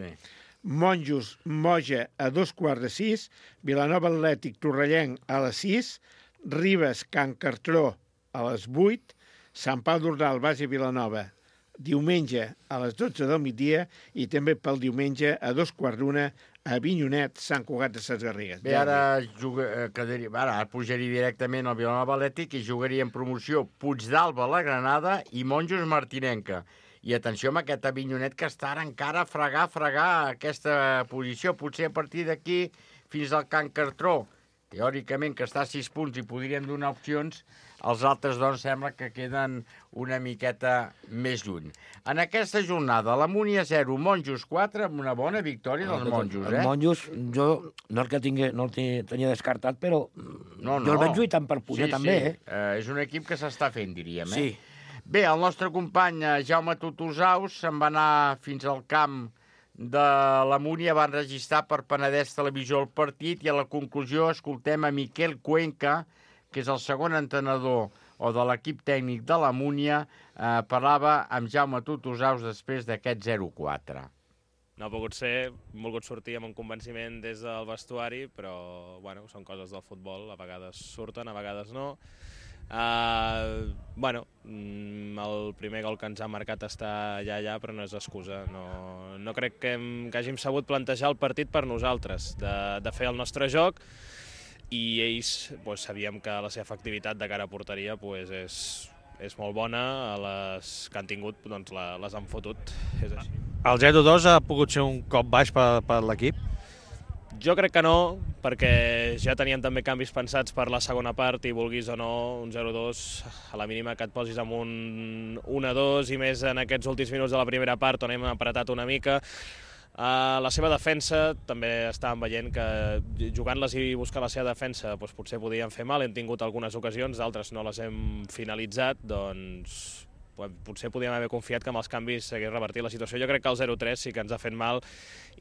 Monjos Moja a 5:15, Vilanova Atlètic Torrellenc a les 6, Ribes Can Cartró a les 8, Sant Pau d'Ordal Base Vilanova diumenge a les 12 del migdia i també pel diumenge a 2:15 a Avinyonet, Sant Cugat de ses Garrigues. Bé, ara pujaria directament al Vilanova Atlètic i jugaria en promoció Puigdàlber La Granada i Monjos Martinenca. I atenció amb aquest Avinyonet que està ara encara a fregar aquesta posició. Potser a partir d'aquí fins al Can Cartró, teòricament que està a 6 punts i podríem donar opcions, els altres, doncs, sembla que queden una miqueta més lluny. En aquesta jornada, la Múnia 0, Monjos 4, amb una bona victòria dels Monjos, eh? Els Monjos, jo no el tenia descartat, però jo el veig lluitant per pujar també, eh? És un equip que s'està fent, diríem, eh? Sí. Bé, el nostre company Jaume Tutusaus se'n va anar fins al camp de la Múnia, va enregistrar per Penedès Televisió el partit i a la conclusió escoltem a Miquel Cuenca, que és el segon entrenador o de l'equip tècnic de la Múnia, parlava amb Jaume Tutusaus després d'aquest 0-4. No ha pogut ser, hem volgut sortir amb un convenciment des del vestuari, però bueno, són coses del futbol, a vegades surten, a vegades no. El primer gol que ens ha marcat està allà, però no és excusa. No crec que hàgim sabut plantejar el partit per nosaltres, de fer el nostre joc, i ells sabíem que la seva efectivitat de cara a porteria és molt bona, les que han tingut les han fotut, és així. El 0-2 ha pogut ser un cop baix per l'equip? Jo crec que no, perquè ja teníem també canvis pensats per la segona part i vulguis o no, un 0-2, a la mínima que et posis amb un 1-2 i més en aquests últims minuts de la primera part on hem apretat una mica. La seva defensa també estàvem veient que jugant-les i buscant la seva defensa potser podien fer mal, hem tingut algunes ocasions, d'altres no les hem finalitzat, doncs potser podíem haver confiat que amb els canvis s'hagués revertit la situació. Jo crec que el 0-3 sí que ens ha fet mal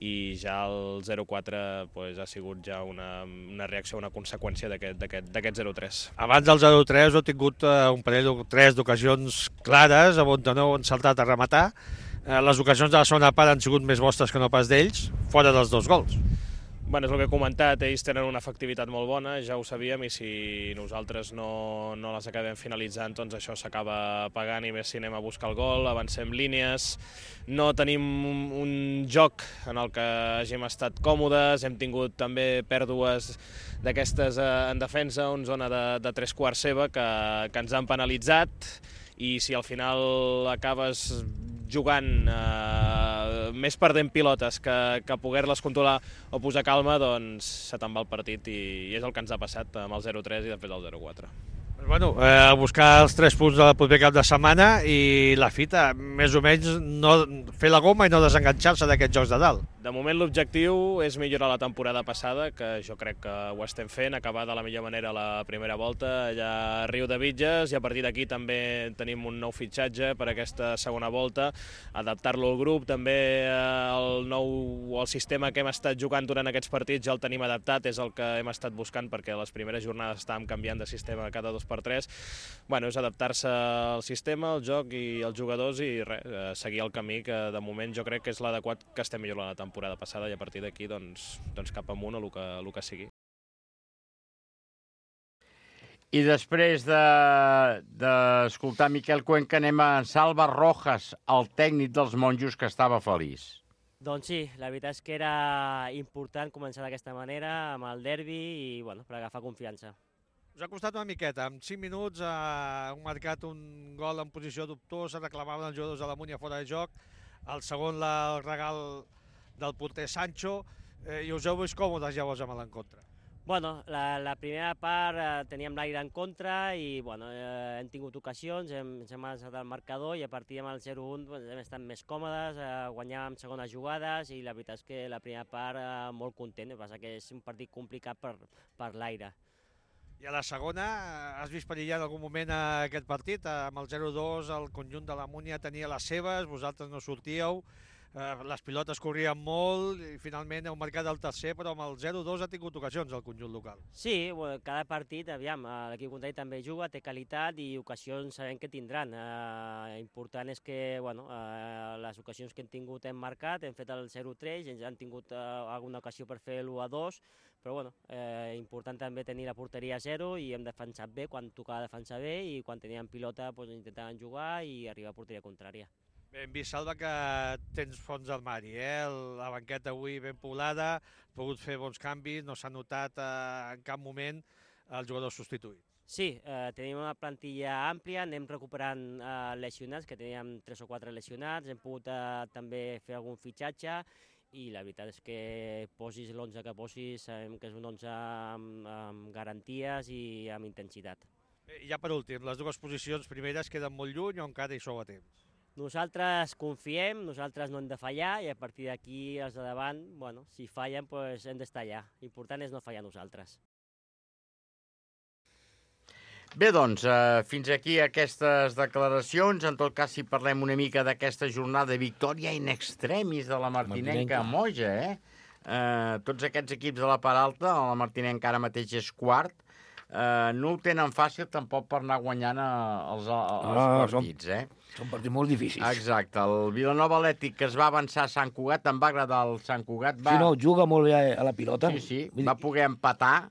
i ja el 0-4 ha sigut ja una reacció, una conseqüència d'aquest 0-3. Abans del 0-3 heu tingut un parell o tres d'ocasions clares on no heu encertat a rematar. Les ocasions de la segona part han sigut més vostres que no pas d'ells, fora dels 2 gols. És el que he comentat, ells tenen una efectivitat molt bona, ja ho sabíem, i si nosaltres no les acabem finalitzant, doncs això s'acaba pagant, i més si anem a buscar el gol, avancem línies, no tenim un joc en el que hàgim estat còmodes, hem tingut també pèrdues d'aquestes en defensa, en zona de 3/4 seva, que ens han penalitzat, i si al final acabes jugant més perdent pilotes que poder-les controlar o posar calma, doncs se te'n va el partit i és el que ens ha passat amb el 0-3 i després el 0-4. A buscar els 3 punts del proper cap de setmana i la fita, més o menys, no fer la goma i no desenganxar-se d'aquests jocs de dalt. De moment l'objectiu és millorar la temporada passada, que jo crec que ho estem fent, acabar de la millor manera la primera volta allà a Riudebitlles, i a partir d'aquí també tenim un nou fitxatge per aquesta segona volta, adaptar-lo al grup, també el sistema que hem estat jugant durant aquests partits ja el tenim adaptat, és el que hem estat buscant perquè les primeres jornades estàvem canviant de sistema cada 2x3. És adaptar-se al sistema, al joc i als jugadors i seguir el camí que de moment jo crec que és l'adequat, que estem millorant la temporada passada, i a partir d'aquí doncs cap amunt o el que sigui. I després d'escoltar Miquel Cuenca anem a Salva Rojas, el tècnic dels monjos, que estava feliç. Doncs sí, la veritat és que era important començar d'aquesta manera, amb el derbi, i bueno, per agafar confiança. Us ha costat una miqueta. En 5 minuts han marcat un gol en posició dubtosa, reclamaven els jugadors de la Múnia fora de joc, el segon el regal del porter Sancho, i us heu vist còmodes llavors amb l'encontre. Bueno, la primera part teníem l'aire en contra i bueno, hem tingut ocasions, ens hem alçat el marcador i a partir del 0-1 hem estat més còmodes, guanyàvem segones jugades i la veritat és que la primera part molt content, el que passa que és un partit complicat per l'aire. I a la segona, has vist perillar en algun moment aquest partit? Amb el 0-2 el conjunt de la Múnia tenia les seves, vosaltres no sortíeu, les pilotes corrien molt i finalment heu marcat el tercer, però amb el 0-2 ha tingut ocasions el conjunt local. Sí, cada partit, aviam, l'equip contrari també juga, té qualitat i ocasions sabem que tindran. Important és que bueno, les ocasions que hem tingut hem marcat, hem fet el 0-3, ens han tingut alguna ocasió per fer l'1-2, però bueno, important també tenir la porteria a 0 i hem defensat bé quan tocava defensar bé i quan teníem pilota doncs, intentaven jugar i arribar a porteria contrària. Bé, hem vist, Salva, que tens fons d'armari, la banqueta avui ben poblada, has pogut fer bons canvis, no s'ha notat en cap moment el jugador substituït. Sí, tenim una plantilla àmplia, anem recuperant lesionats, que teníem 3 o 4 lesionats, hem pogut també fer algun fitxatge i la veritat és que posis l'11 que posis, sabem que és un 11 amb garanties i amb intensitat. Bé, i ja per últim, les dues posicions primeres queden molt lluny o encara hi sou a temps? Nosaltres confiem, nosaltres no hem de fallar i a partir d'aquí els de davant, bueno, si fallen doncs hem d'estar allà. L'important és no fallar nosaltres. Bé, doncs, fins aquí aquestes declaracions. En tot cas, si parlem una mica d'aquesta jornada de victòria in extremis de la Martinenca a Moja, tots aquests equips de la part alta, la Martinenca ara mateix és quart, no ho tenen fàcil tampoc per anar guanyant els partits, Són partits molt difícils. Exacte. El Vilanova Atlètic, que es va avançar a Sant Cugat, em va agradar el Sant Cugat. Sí, no, juga molt bé a la pilota. Sí, va poder empatar.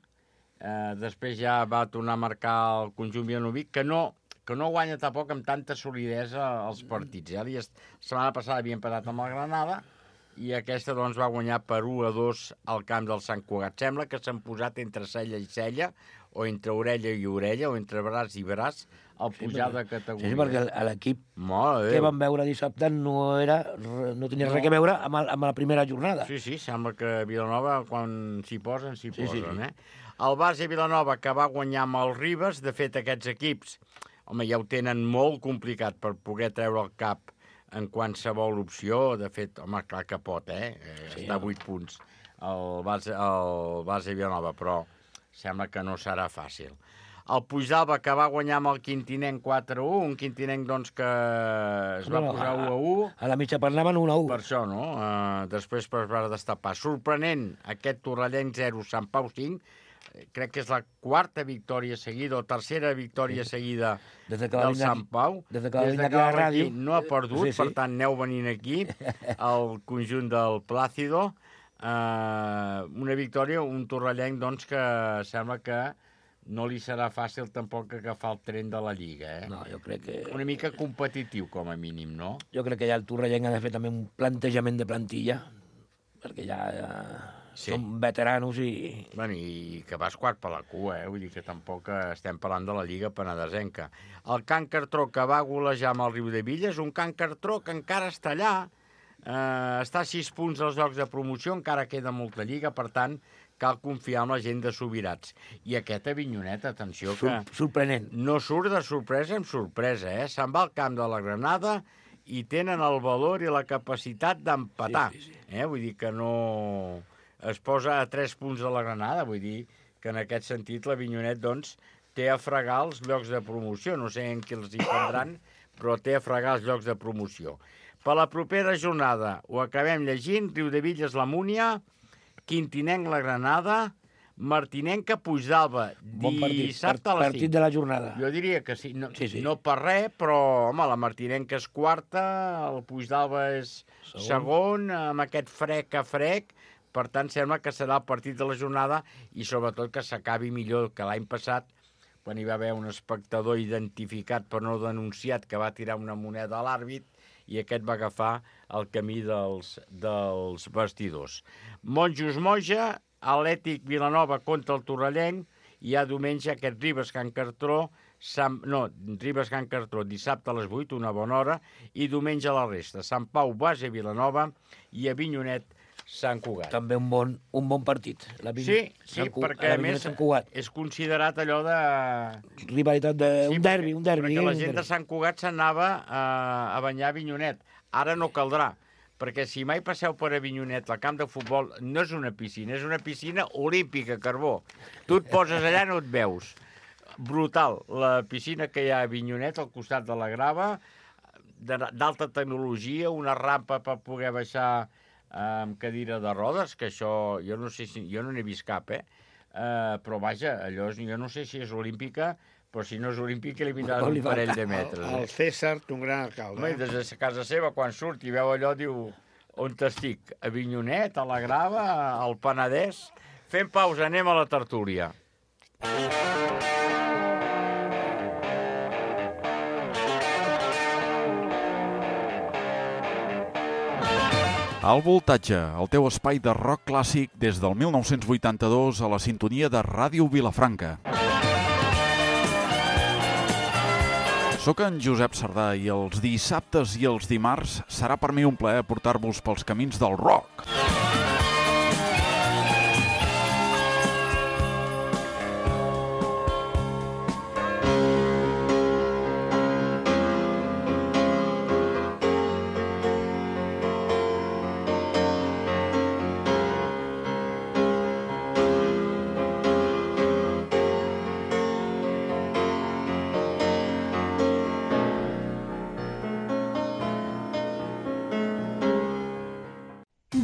Després ja va tornar a marcar el conjunt vilanovic, que no guanya tampoc amb tanta solidesa els partits. La setmana passada havia empatat amb el Granada i aquesta doncs va guanyar per 1-2 al camp del Sant Cugat. Sembla que s'han posat entre cella i cella, o entre orella i orella, o entre braç i braç, al pujar de categoria. Sí, perquè l'equip que vam veure dissabte no tenia res a veure amb la primera jornada. Sí, sembla que Vilanova, quan s'hi posen, s'hi posen. El Base Vilanova, que va guanyar amb el Ribes, de fet, aquests equips, home, ja ho tenen molt complicat per poder treure el cap en qualsevol opció. De fet, home, clar que pot, està a 8 punts el Base Vilanova, però sembla que no serà fàcil. El Puigdàlber, que va guanyar amb el Quintinenc 4-1, un Quintinenc doncs, que es va posar 1-1. A la mitja part anaven 1-1. Per això, no? Després per va destapar. Sorprenent, aquest Torrellenc 0, Sant Pau 5. Crec que és la quarta victòria seguida, o tercera victòria seguida del Sant Pau. Des que va venir a la ràdio. No ha perdut, per tant, aneu venint aquí, el conjunt del Plácido. Una victòria, un Torrellenc doncs, que sembla que no li serà fàcil tampoc agafar el tren de la Lliga. No, jo crec que... Una mica competitiu, com a mínim, no? Jo crec que ja el Torrellenc ha de fer també un plantejament de plantilla, perquè ja són veteranos i... Bueno, i que vas quart per la cua, vull dir que tampoc estem parlant de la Lliga penedesenca. El Can Cartró, que va golejar amb el Riudevilles, un Can Cartró que encara està allà, està a 6 punts als llocs de promoció, encara queda molta lliga, per tant, cal confiar en la gent de Subirats. I aquest Avinyonet, atenció, que... Sorprenent. No surt de sorpresa en sorpresa, Se'n va al camp de la Granada i tenen el valor i la capacitat d'empatar. Vull dir que no... Es posa a 3 punts de la Granada, vull dir que en aquest sentit l'Avinyonet, doncs, té a fregar els llocs de promoció. No sé en qui els hi prendran, però té a fregar els llocs de promoció. Per la propera jornada, ho acabem llegint, Riudevilles la Múnia, Quintinenc la Granada, Martinenca Puigdàlber, dissabte a les 5. Partit de la jornada. Jo diria que sí, no per res, però home, la Martinenca és quarta, el Puigdàlber és segon, amb aquest frec a frec, per tant sembla que serà el partit de la jornada i sobretot que s'acabi millor que l'any passat, quan hi va haver un espectador identificat però no denunciat que va tirar una moneda a l'àrbit i aquest va agafar el camí dels vestidors. Monjos Moja, Atlètic Vilanova contra el Torrellenc, i hi ha diumenge aquest Ribes Can Cartró, dissabte a les 8, una bona hora, i diumenge a la resta. Sant Pau, Base, Vilanova, i a Avinyonet, Sant Cugat. També un bon partit. Sí, perquè a més és considerat allò de... Rivalitat d'un derbi. Perquè la gent de Sant Cugat s'anava a banyar a Avinyonet. Ara no caldrà, perquè si mai passeu per Avinyonet, el camp de futbol no és una piscina, és una piscina olímpica, Carbó. Tu et poses allà i no et veus. Brutal, la piscina que hi ha a Avinyonet, al costat de la grava, d'alta tecnologia, una rampa per poder baixar amb cadira de rodes, que això, jo no sé si, jo no n'he vist cap, però vaja, allò, jo no sé si és olímpica, però si no és olímpica li vindran un parell de metres. El César, un gran alcalde. Des de casa seva, quan surt i veu allò, diu, on t'estic? A Avinyonet, a la Grava, al Penedès? Fem pausa, anem a la tertúlia. Al Voltatge, el teu espai de rock clàssic des del 1982 a la sintonia de Ràdio Vilafranca. Soc en Josep Sardà i els dissabtes i els dimarts serà per mi un plaer portar-vos pels camins del rock.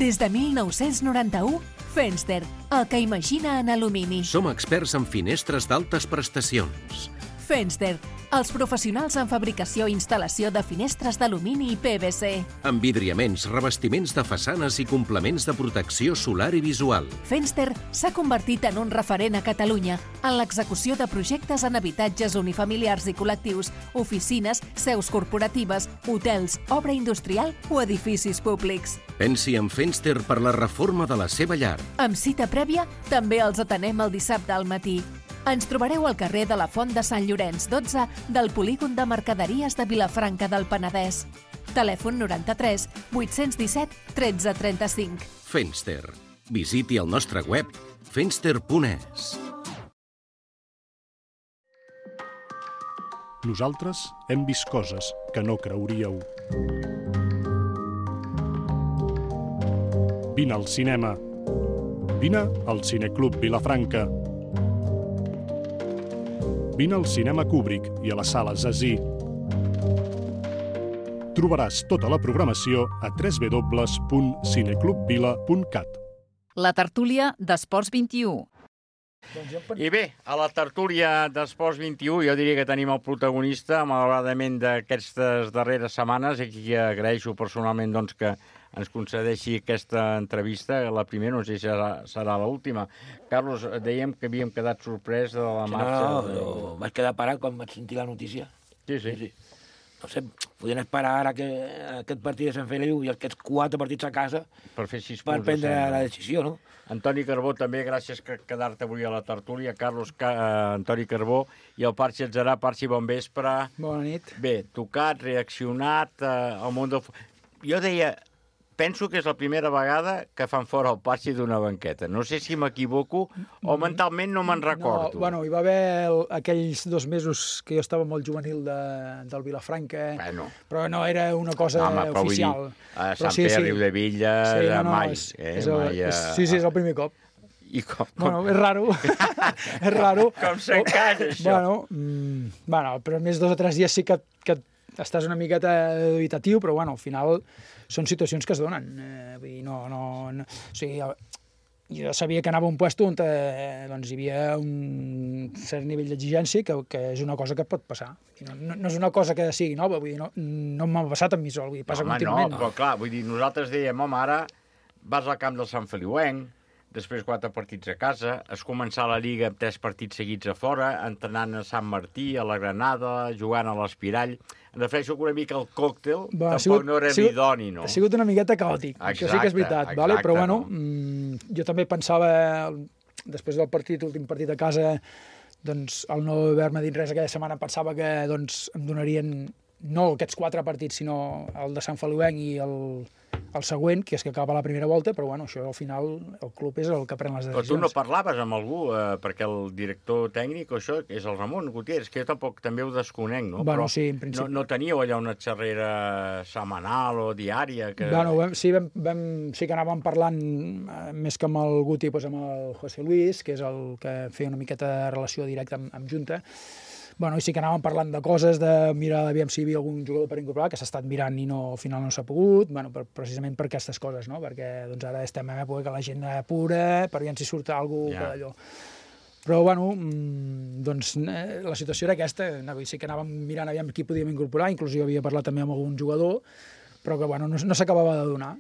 Des de 1991, Fenster, el que imagina en alumini. Som experts en finestres d'altes prestacions. Fenster, els professionals en fabricació i instal·lació de finestres d'alumini i PVC. Envidriaments, revestiments de façanes i complements de protecció solar i visual. Fenster s'ha convertit en un referent a Catalunya en l'execució de projectes en habitatges unifamiliars i col·lectius, oficines, seus corporatives, hotels, obra industrial o edificis públics. Pensi en Fenster per la reforma de la seva llar. Amb cita prèvia, també els atenem el dissabte al matí. Ens trobareu al carrer de la Font de Sant Llorenç 12 del Polígon de Mercaderies de Vilafranca del Penedès. Telèfon 93 817 13 35. Fenster. Visiti el nostre web fenster.es. Nosaltres hem vist coses que no creuríeu. Vine al cinema. Vine al Cineclub Vilafranca. Vine al Cinema Kubrick i a la Sala Zazí. Trobaràs tota la programació a www.cineclubvila.cat. La tertúlia d'Esports 21. I bé, a la tertúlia d'Esports 21 jo diria que tenim el protagonista, malauradament, d'aquestes darreres setmanes, i qui agraeixo personalment doncs, que ens concedeixi aquesta entrevista, la primera, no sé si serà l'última. Carlos, dèiem que havíem quedat sorprès de la marxa. No, vaig quedar parat quan vaig sentir la notícia. Sí. No sé, podien esperar ara que aquest partit de Sant Feliu i aquests 4 partits a casa per fer 6 punts, per prendre la decisió, no? Antoni Carbó, també, gràcies per quedar-te avui a la tertúlia. Carlos, Antoni Carbó i el Parxi Atzarà. Parxi, bon vespre. Bona nit. Bé, tocat, reaccionat al món del... Jo deia... Penso que és la primera vegada que fan fora el Parxi d'una banqueta. No sé si m'equivoco o mentalment no me'n recordo. No, bueno, hi va haver aquells 2 mesos que jo estava molt juvenil del Vilafranca, però no era una cosa oficial. A Sant Pere, Riudevilla, mai. Sí, és el primer cop. I com? Bueno, és raro. És raro. Com s'encaixa, això? Bueno, però més 2 o 3 dies sí que estàs una miqueta dubitatiu, però bueno, al final són situacions que es donen. Vull dir, o sigui, jo sabia que anava a un lloc on doncs, hi havia un cert nivell d'exigència que és una cosa que pot passar. No és una cosa que sigui nova, vull dir, no m'ha passat amb mi sol, vull dir, passa contínuament. No, però clar, vull dir, nosaltres dèiem, home, ara vas al camp del Sant Feliuenc, després 4 partits a casa, es començar la Lliga amb 3 partits seguits a fora, entrenant a Sant Martí, a la Granada, jugant a l'Espirall. Em refereixo que una mica el còctel tampoc no era l'idoni, no? Ha sigut una miqueta caòtic, això sí que és veritat, vale? Però bueno, jo també pensava, després del partit, l'últim partit a casa, doncs, al no haver-me dit res aquella setmana, pensava que doncs, em donarien no aquests 4 partits, sinó el de Sant Feliuenc i el següent, que és que acaba la primera volta, però bueno, això al final el club és el que pren les decisions. Però tu no parlaves amb algú, perquè el director tècnic o això, que és el Ramon Gutiérrez, que jo tampoc també ho desconec, no? Bueno, però sí, en principi. No teníeu allà una xerrera setmanal o diària? Que... Bueno, sí que anàvem parlant més que amb el Guti, doncs amb el José Luis, que és el que feia una miqueta de relació directa amb Junta. Bueno, i sí que anàvem parlant de coses, de mirar aviam si hi havia algun jugador per incorporar, que s'ha estat mirant i al final no s'ha pogut, bueno, precisament per aquestes coses, no? Perquè doncs, ara estem en època que la gent apura, per aviam si surt alguna cosa d'allò. Però, bueno, doncs la situació era aquesta, sí que anàvem mirant aviam qui podíem incorporar, inclús jo havia parlat també amb algun jugador, però que, bueno, no s'acabava de donar.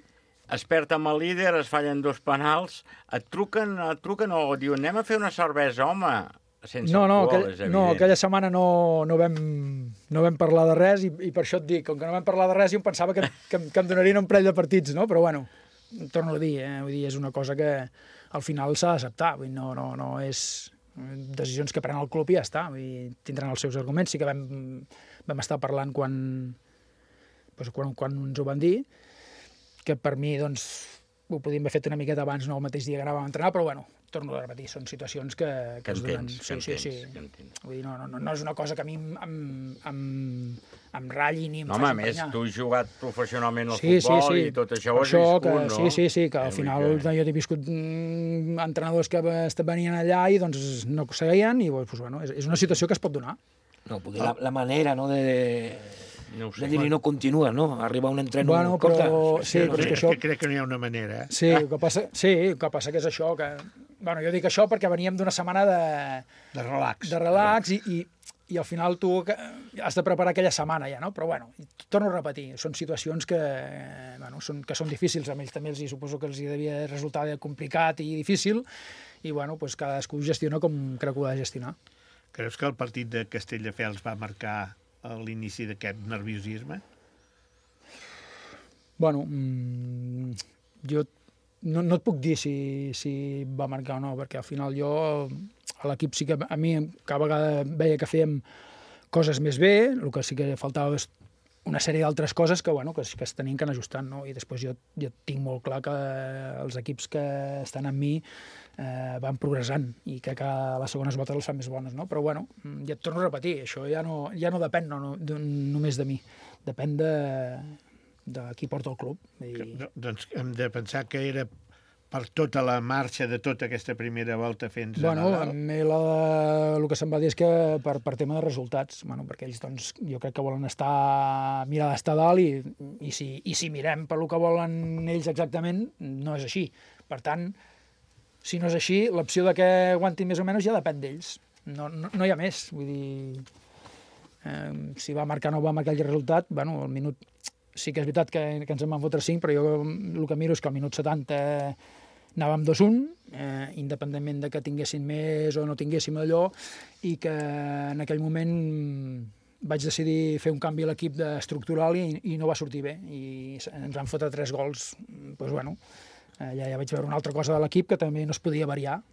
Es perd amb el líder, es fallen 2 penals, et truquen o diuen anem a fer una cervesa, home... aquella setmana no vam parlar de res i per això et dic, com que no vam parlar de res jo em pensava que em donarien un parell de partits, no? Però bueno, torno a dir, vull dir, és una cosa que al final s'ha d'acceptar, no és decisions que pren el club i ja està, vull dir, tindran els seus arguments. Sí que vam estar parlant quan ens ho van dir, que per mi doncs ho podíem haver fet una miqueta abans, no el mateix dia que anàvem a entrenar, però bueno, torno a repetir, són situacions que es donen. Sí. Vull dir, no és una cosa que a mi em ratlli ni em faci emprenyar. Home, a més, tu has jugat professionalment al futbol i tot això ho has viscut, no? Sí, que al final jo he viscut entrenadors que venien allà i doncs no seguien i doncs, bueno, és una situació que es pot donar. No, perquè la manera, no, de dir-li no continua, no? Arriba un entreno... Bueno, però... Sí, però és que això... Crec que no hi ha una manera. Sí, el que passa que és això, que... Bueno, jo dic això perquè veníem d'una setmana de relax. De relax i al final tu has de preparar aquella setmana ja, no? Però bueno, torno a repetir, són situacions que són difícils, a ells també suposo que els devia resultar complicat i difícil i bueno, doncs cadascú gestiona com creu que ho ha de gestionar. Creus que el partit de Castelldefels va marcar l'inici d'aquest nerviosisme? Bueno, jo no et puc dir si va marcar o no, perquè al final jo, a l'equip sí que a mi cada vegada veia que fèiem coses més bé, el que sí que faltava és una sèrie d'altres coses que es tenien que anar ajustant, no? I després jo tinc molt clar que els equips que estan amb mi van progressant i que les segones voltes les fan més bones, no? Però bueno, ja et torno a repetir, això ja no depèn només de mi, depèn de qui porta el club. Doncs hem de pensar que era per tota la marxa de tota aquesta primera volta fins a Nadal. A mi el que se'm va dir és que per tema de resultats, perquè ells doncs, jo crec que volen mirar d'estar dalt i si mirem per el que volen ells exactament, no és així. Per tant, si no és així, l'opció de que aguantin més o menys ja depèn d'ells. No hi ha més. Vull dir, si va marcar o no va marcar el resultat, al minut... Sí que és veritat que ens en van fotre 5, però jo el que miro és que al minut 70 anàvem 2-1, independentment de que tinguéssim més o no tinguéssim allò, i que en aquell moment vaig decidir fer un canvi a l'equip estructural i no va sortir bé. I ens van fotre 3 gols. Doncs bueno, ja vaig veure una altra cosa de l'equip que també no es podia variar,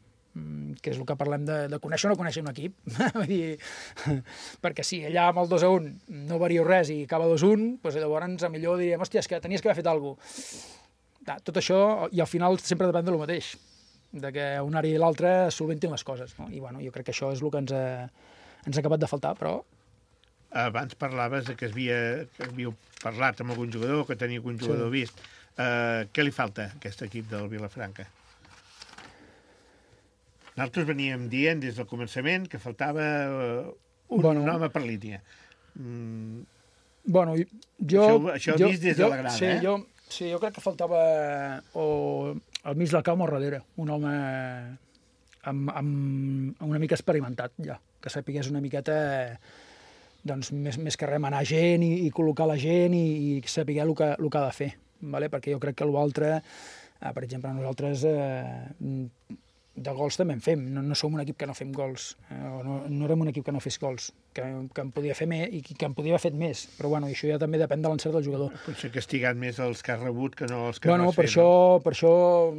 que és el que parlem de conèixer o no conèixer un equip. Perquè si allà amb el 2-1 no vario res i acaba 2-1, doncs llavors millor diríem, hòstia, és que tenies que haver fet alguna cosa. Tot això, i al final sempre depèn del mateix, de que un àrea i l'altre solventin les coses. No? I bueno, jo crec que això és el que ens ha acabat de faltar, però... Abans parlaves que havíeu parlat amb algun jugador, que tenia algun jugador vist. Què li falta a aquest equip del Vilafranca? Nosaltres veníem dient des del començament que faltava un home per línia. Això ho vist des de la grada, Sí, jo crec que faltava al mig del camp o darrere, un home amb una mica experimentat ja, que sapigués una miqueta doncs, més que remenar gent i col·locar la gent i saber el que ha de fer, vale? Perquè jo crec que l'altre Per exemple, nosaltres de gols també en fem, no som un equip que no fem gols, no érem un equip que no fes gols, que en podia fer més i que en podia haver fet més, però bueno, això ja també depèn de l'encert del jugador. Potser castigat més els que has rebut que no els que no has fet. Per això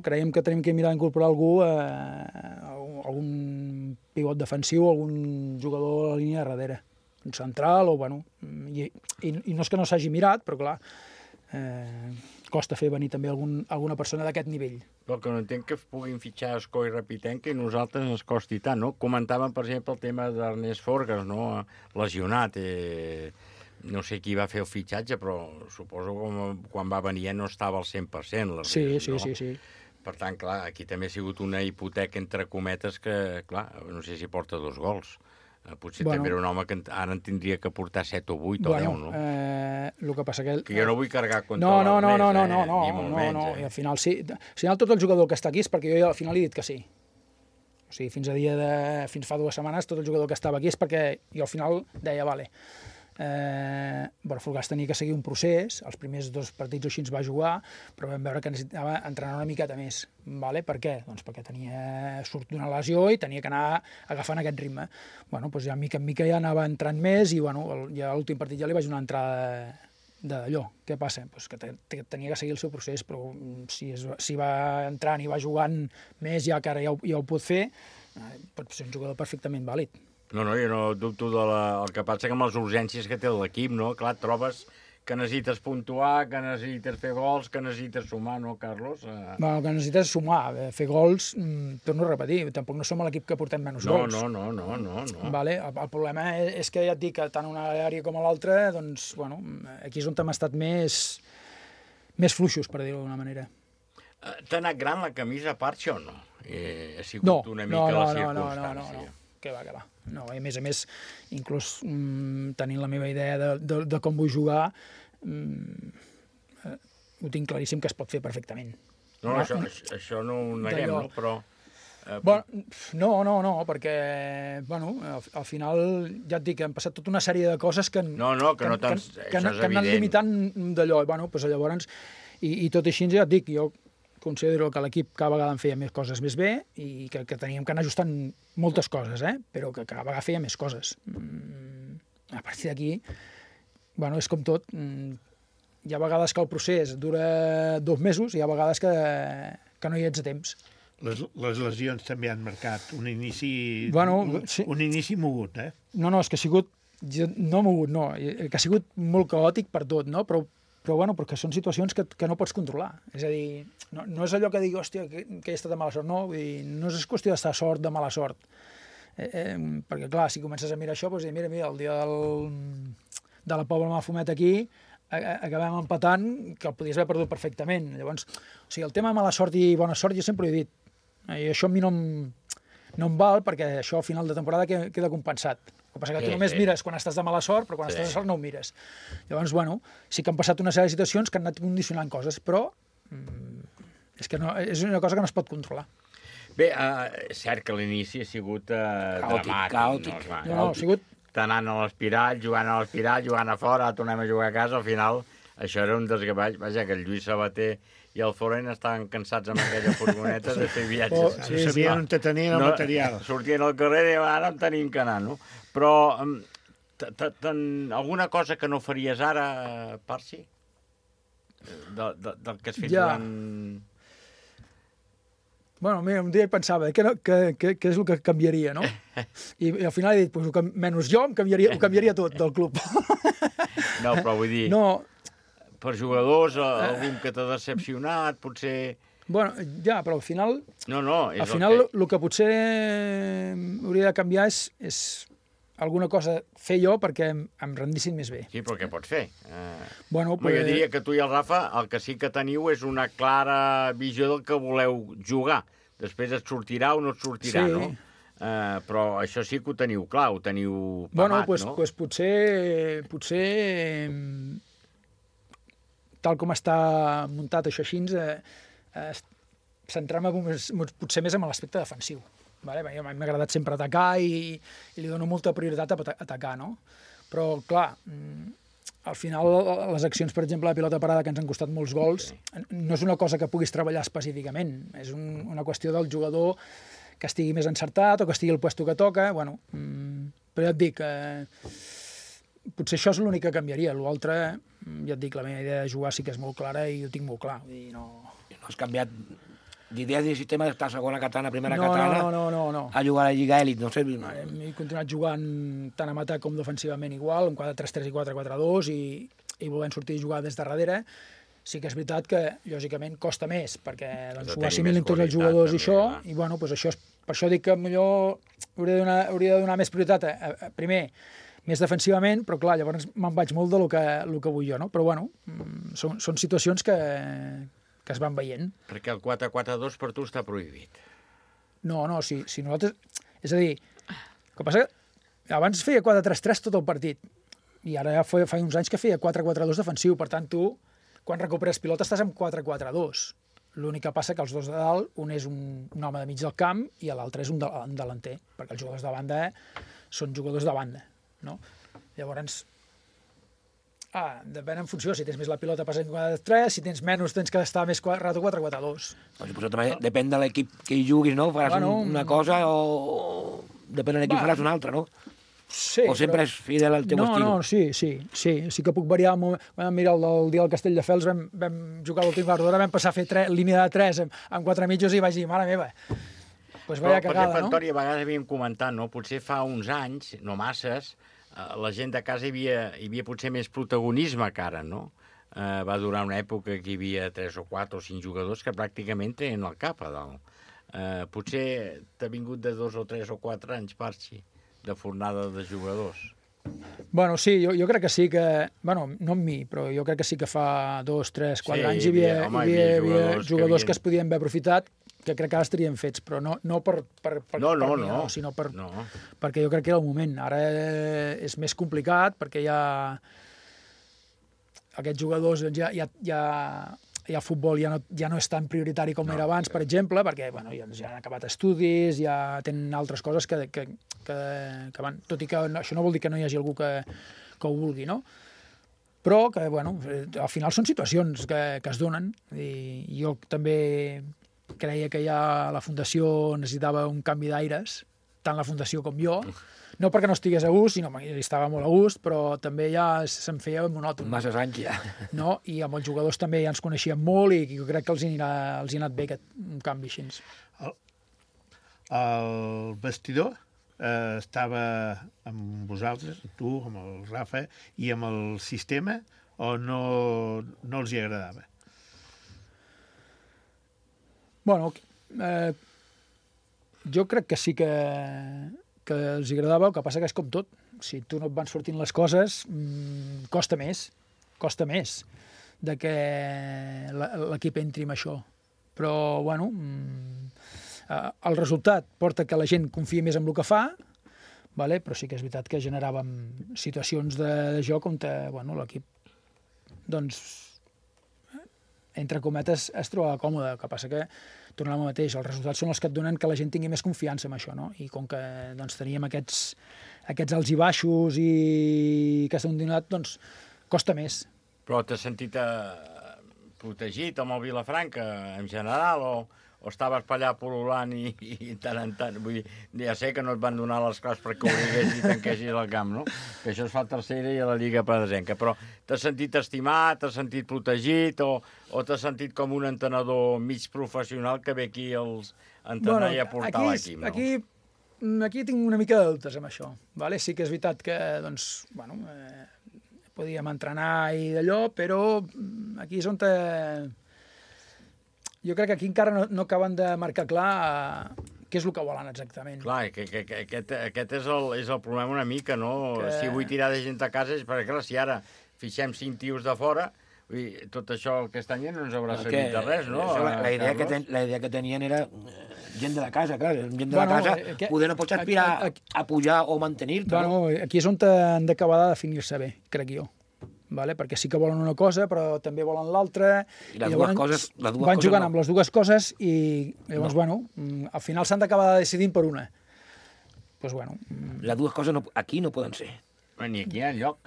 creiem que tenim que mirar d'incorporar algú, algun pivot defensiu, algun jugador a la línia de darrere, un central, i no és que no s'hagi mirat, però clar, costa fer venir també alguna persona d'aquest nivell. Però que no entenc que puguin fitxar Escó i Rapitenc i nosaltres ens costi tant, no? Comentàvem, per exemple, el tema d'Ernest Forgas, no? Lesionat. No sé qui va fer el fitxatge, però suposo que quan va venir ja no estava al 100%. Sí. Per tant, clar, aquí també ha sigut una hipoteca entre cometes que, clar, no sé si porta 2 gols. Potser també era un home que ara en tindria que portar 7 o 8 o 10, no? El que passa que... Jo no vull cargar contra l'Ernest, ni molt menys. I al final sí. Al final tot el jugador que està aquí és perquè jo al final he dit que sí. O sigui, fins fa 2 setmanes tot el jugador que estava aquí és perquè jo al final deia, vale, Forgas tenia que seguir un procés, els primers 2 partits o així ens va jugar, però vam veure que necessitava entrenar una miqueta més. Vale? Per què? Doncs perquè surt d'una lesió i tenia que anar agafant aquest ritme. Doncs ja mica en mica ja anava entrant més i ja a l'últim partit ja li vaig donar entrada d'allò. Què passa? Pues que tenia que seguir el seu procés, però si va entrant i va jugant més ja que ara ja ho pot fer, pot ser un jugador perfectament vàlid. No, jo no dubto el que passa que amb les urgències que té l'equip, no? Clar, trobes que necessites puntuar, que necessites fer gols, que necessites sumar, no, Carlos? El que necessites és sumar. Fer gols, torno a repetir, tampoc no som l'equip que portem menys gols. No. Vale? El problema és que ja et dic que tant una àrea com a l'altra, doncs, aquí és on hem estat més fluixos, per dir-ho d'alguna manera. T'ha anat gran la camisa a part, o no? Ha sigut una mica la circumstància. No. Que va. No, i a més, inclús tenint la meva idea de com vull jugar, ho tinc claríssim que es pot fer perfectament. No, això no ho neguem, no? Però... No, perquè, al final, ja et dic, han passat tota una sèrie de coses que han anat limitant d'allò. Llavors, i tot així, ja et dic, jo considero que l'equip cada vegada en feia més coses més bé i que teníem que anar ajustant moltes coses, però que cada vegada feia més coses. A partir d'aquí, és com tot. Hi ha vegades que el procés dura 2 mesos i hi ha vegades que no hi ets a temps. Les lesions també han marcat un inici mogut, No, és que ha sigut... No mogut, no. Que ha sigut molt caòtic per tot, no? Però perquè són situacions que no pots controlar. És a dir, no és allò que digui, hòstia, que he estat de mala sort. No, vull dir, no és qüestió d'estar sort de mala sort. Perquè, clar, si comences a mirar això, doncs, mira, el dia de la Pobla Mafumet aquí, acabem empatant, que el podies haver perdut perfectament. Llavors, el tema de mala sort i bona sort, jo sempre ho he dit. I això a mi no em val, perquè això al final de temporada queda compensat. El que passa que tu només mires quan estàs de mala sort, però quan estàs de sort no ho mires. Llavors, sí que han passat una sèrie de situacions que han anat condicionant coses, però és una cosa que no es pot controlar. Bé, és cert que l'inici ha sigut dramàtic. Càotic. No, ha sigut... Anant a l'espiral, jugant a fora, tornem a jugar a casa, al final això era un desgavall. Vaja, que el Lluís Sabater i el Foren estaven cansats amb aquella furgoneta de fer viatges. Sabien on tenien el material. Sortien al carrer i ara en tenim que anar, no? Però alguna cosa que no faries ara, Parsi? Del que has fet durant... Mira, un dia pensava què és el que canviaria, no? I al final he dit, menys jo, ho canviaria tot del club. No, però vull dir... No. Per jugadors, algun que t'ha decepcionat, potser... Però al final... Al final el que potser hauria de canviar és alguna cosa fer jo perquè em rendissin més bé. Sí, però què pots fer? Jo diria que tu i el Rafa el que sí que teniu és una clara visió del que voleu jugar. Després et sortirà o no et sortirà, no? Però això sí que ho teniu clar, ho teniu pamat, no? Doncs potser tal com està muntat això així, centrar-me potser més en l'aspecte defensiu. M'ha agradat sempre atacar i li dono molta prioritat a atacar, no? Però, clar, al final les accions, per exemple, la pilota parada, que ens han costat molts gols, no és una cosa que puguis treballar específicament, és una qüestió del jugador que estigui més encertat o que estigui al puesto que toca, bueno, però ja et dic, potser això és l'únic que canviaria, l'altre, ja et dic, la meva idea de jugar sí que és molt clara i ho tinc molt clar, vull dir, no has canviat d'idea de sistema d'estar a segona catalana, primera catalana, no. a jugar a la Lliga Elit, no sé. He continuat jugant tant en atac com defensivament igual, en 4-3-3 i 4-4-2 i volent sortir a jugar des de darrere. Sí que és veritat que, lògicament, costa més, perquè ho assimilin tots els jugadors i això, i bueno, doncs això per això dic que millor hauria de donar més prioritat primer, més defensivament, però clar, llavors me'n vaig molt de lo que vull jo, no? Però bueno, són situacions que es van veient. Perquè el 4-4-2 per tu està prohibit. No, si nosaltres... És a dir, el que passa que abans feia 4-3-3 tot el partit, i ara ja fa uns anys que feia 4-4-2 defensiu, per tant tu, quan recuperes pilota, estàs amb 4-4-2. L'únic que passa que els dos de dalt, un és un home de mig del camp i l'altre és un delanter, perquè els jugadors de banda són jugadors de banda, no? Llavors, depèn en funció, si tens més la pilota passant 4-3, si tens menys tens que estar més rato 4-4-2. Suposo també depèn de l'equip que hi juguis, no? Faràs una cosa o depèn de l'equip faràs una altra, no? Sí, o sempre és fidel al teu estil? No, sí que puc variar. Mira, el dia del Castelldefels vam jugar l'últim quart d'hora, vam passar a fer línia de 3 amb 4 mitjos i vaig dir, mare meva, pues vaya cagada, no? Antoni, a vegades havíem comentat, no? Potser fa uns anys, no masses, la gent de casa hi havia potser més protagonisme que ara, no? Va durar una època que hi havia 3 o 4 o 5 jugadors que pràcticament tenen el cap a dalt. Potser t'ha vingut de 2 o 3 o 4 anys, Parxi, de fornada de jugadors. Bueno, sí, jo crec que sí que... Bueno, no amb mi, però jo crec que sí que fa 2, 3, 4 anys hi havia jugadors que es podien haver aprofitat, que crec que ara estarien fets, però no per mi, sinó perquè jo crec que era el moment. Ara és més complicat, perquè ja aquests jugadors ja el futbol ja no és tan prioritari com era abans, per exemple, perquè bueno, ja han acabat estudis, ja tenen altres coses que van... Tot i que això no vol dir que no hi hagi algú que ho vulgui, no? Però que, bueno, al final són situacions que es donen, i jo també creia que ja la Fundació necessitava un canvi d'aires, tant la Fundació com jo, no perquè no estigués a gust, sinó perquè estava molt a gust, però també ja se'm feia monòton. Masses anys ja. No? I amb els jugadors també ja ens coneixíem molt i jo crec que els hi ha anat bé aquest canvi així. El vestidor estava amb vosaltres, tu, amb el Rafa, i amb el sistema, o no els hi agradava? Bueno, jo crec que sí que els agradava, el que passa que és com tot. Si tu no et van sortint les coses, costa més de que l'equip entri en això. Però, bueno, el resultat porta que la gent confia més en el que fa, però sí que és veritat que generàvem situacions de joc on l'equip, doncs, entre cometes, es trobava còmode. El que passa que, tornant al mateix, els resultats són els que et donen que la gent tingui més confiança en això, no? I com que teníem aquests alts i baixos i que s'han donat, doncs, costa més. Però t'has sentit protegit amb el Vilafranca, en general, o estaves per allà pol·lulant i tant en tant? Vull dir, ja sé que no et van donar les claus perquè obligués i tanquessis el camp, no? Que això es fa a tercera i a la Lliga Pedrasenca. Però t'has sentit estimat, t'has sentit protegit o t'has sentit com un entrenador mig professional que ve aquí a entrenar i a portar l'equip, no? Aquí tinc una mica de dubtes amb això. Sí que és veritat que, doncs, podíem entrenar i d'allò, però aquí és on jo crec que aquí encara no acaben de marcar què és el que volen exactament. Clar, aquest és el problema una mica, no? Si vull tirar de gent a casa és perquè, clar, si ara fixem 5 tios de fora, tot això aquest any no ens haurà servit de res, no? La idea que tenien era gent de la casa, clar, gent de la casa, poder no pots aspirar a pujar o mantenir-te. Aquí és on han d'acabar de definir-se bé, crec jo. Perquè sí que volen una cosa, però també volen l'altra. I les dues coses van jugant amb les dues coses i llavors, al final s'han d'acabar decidint per una. Les dues coses aquí no poden ser. Ni aquí enlloc.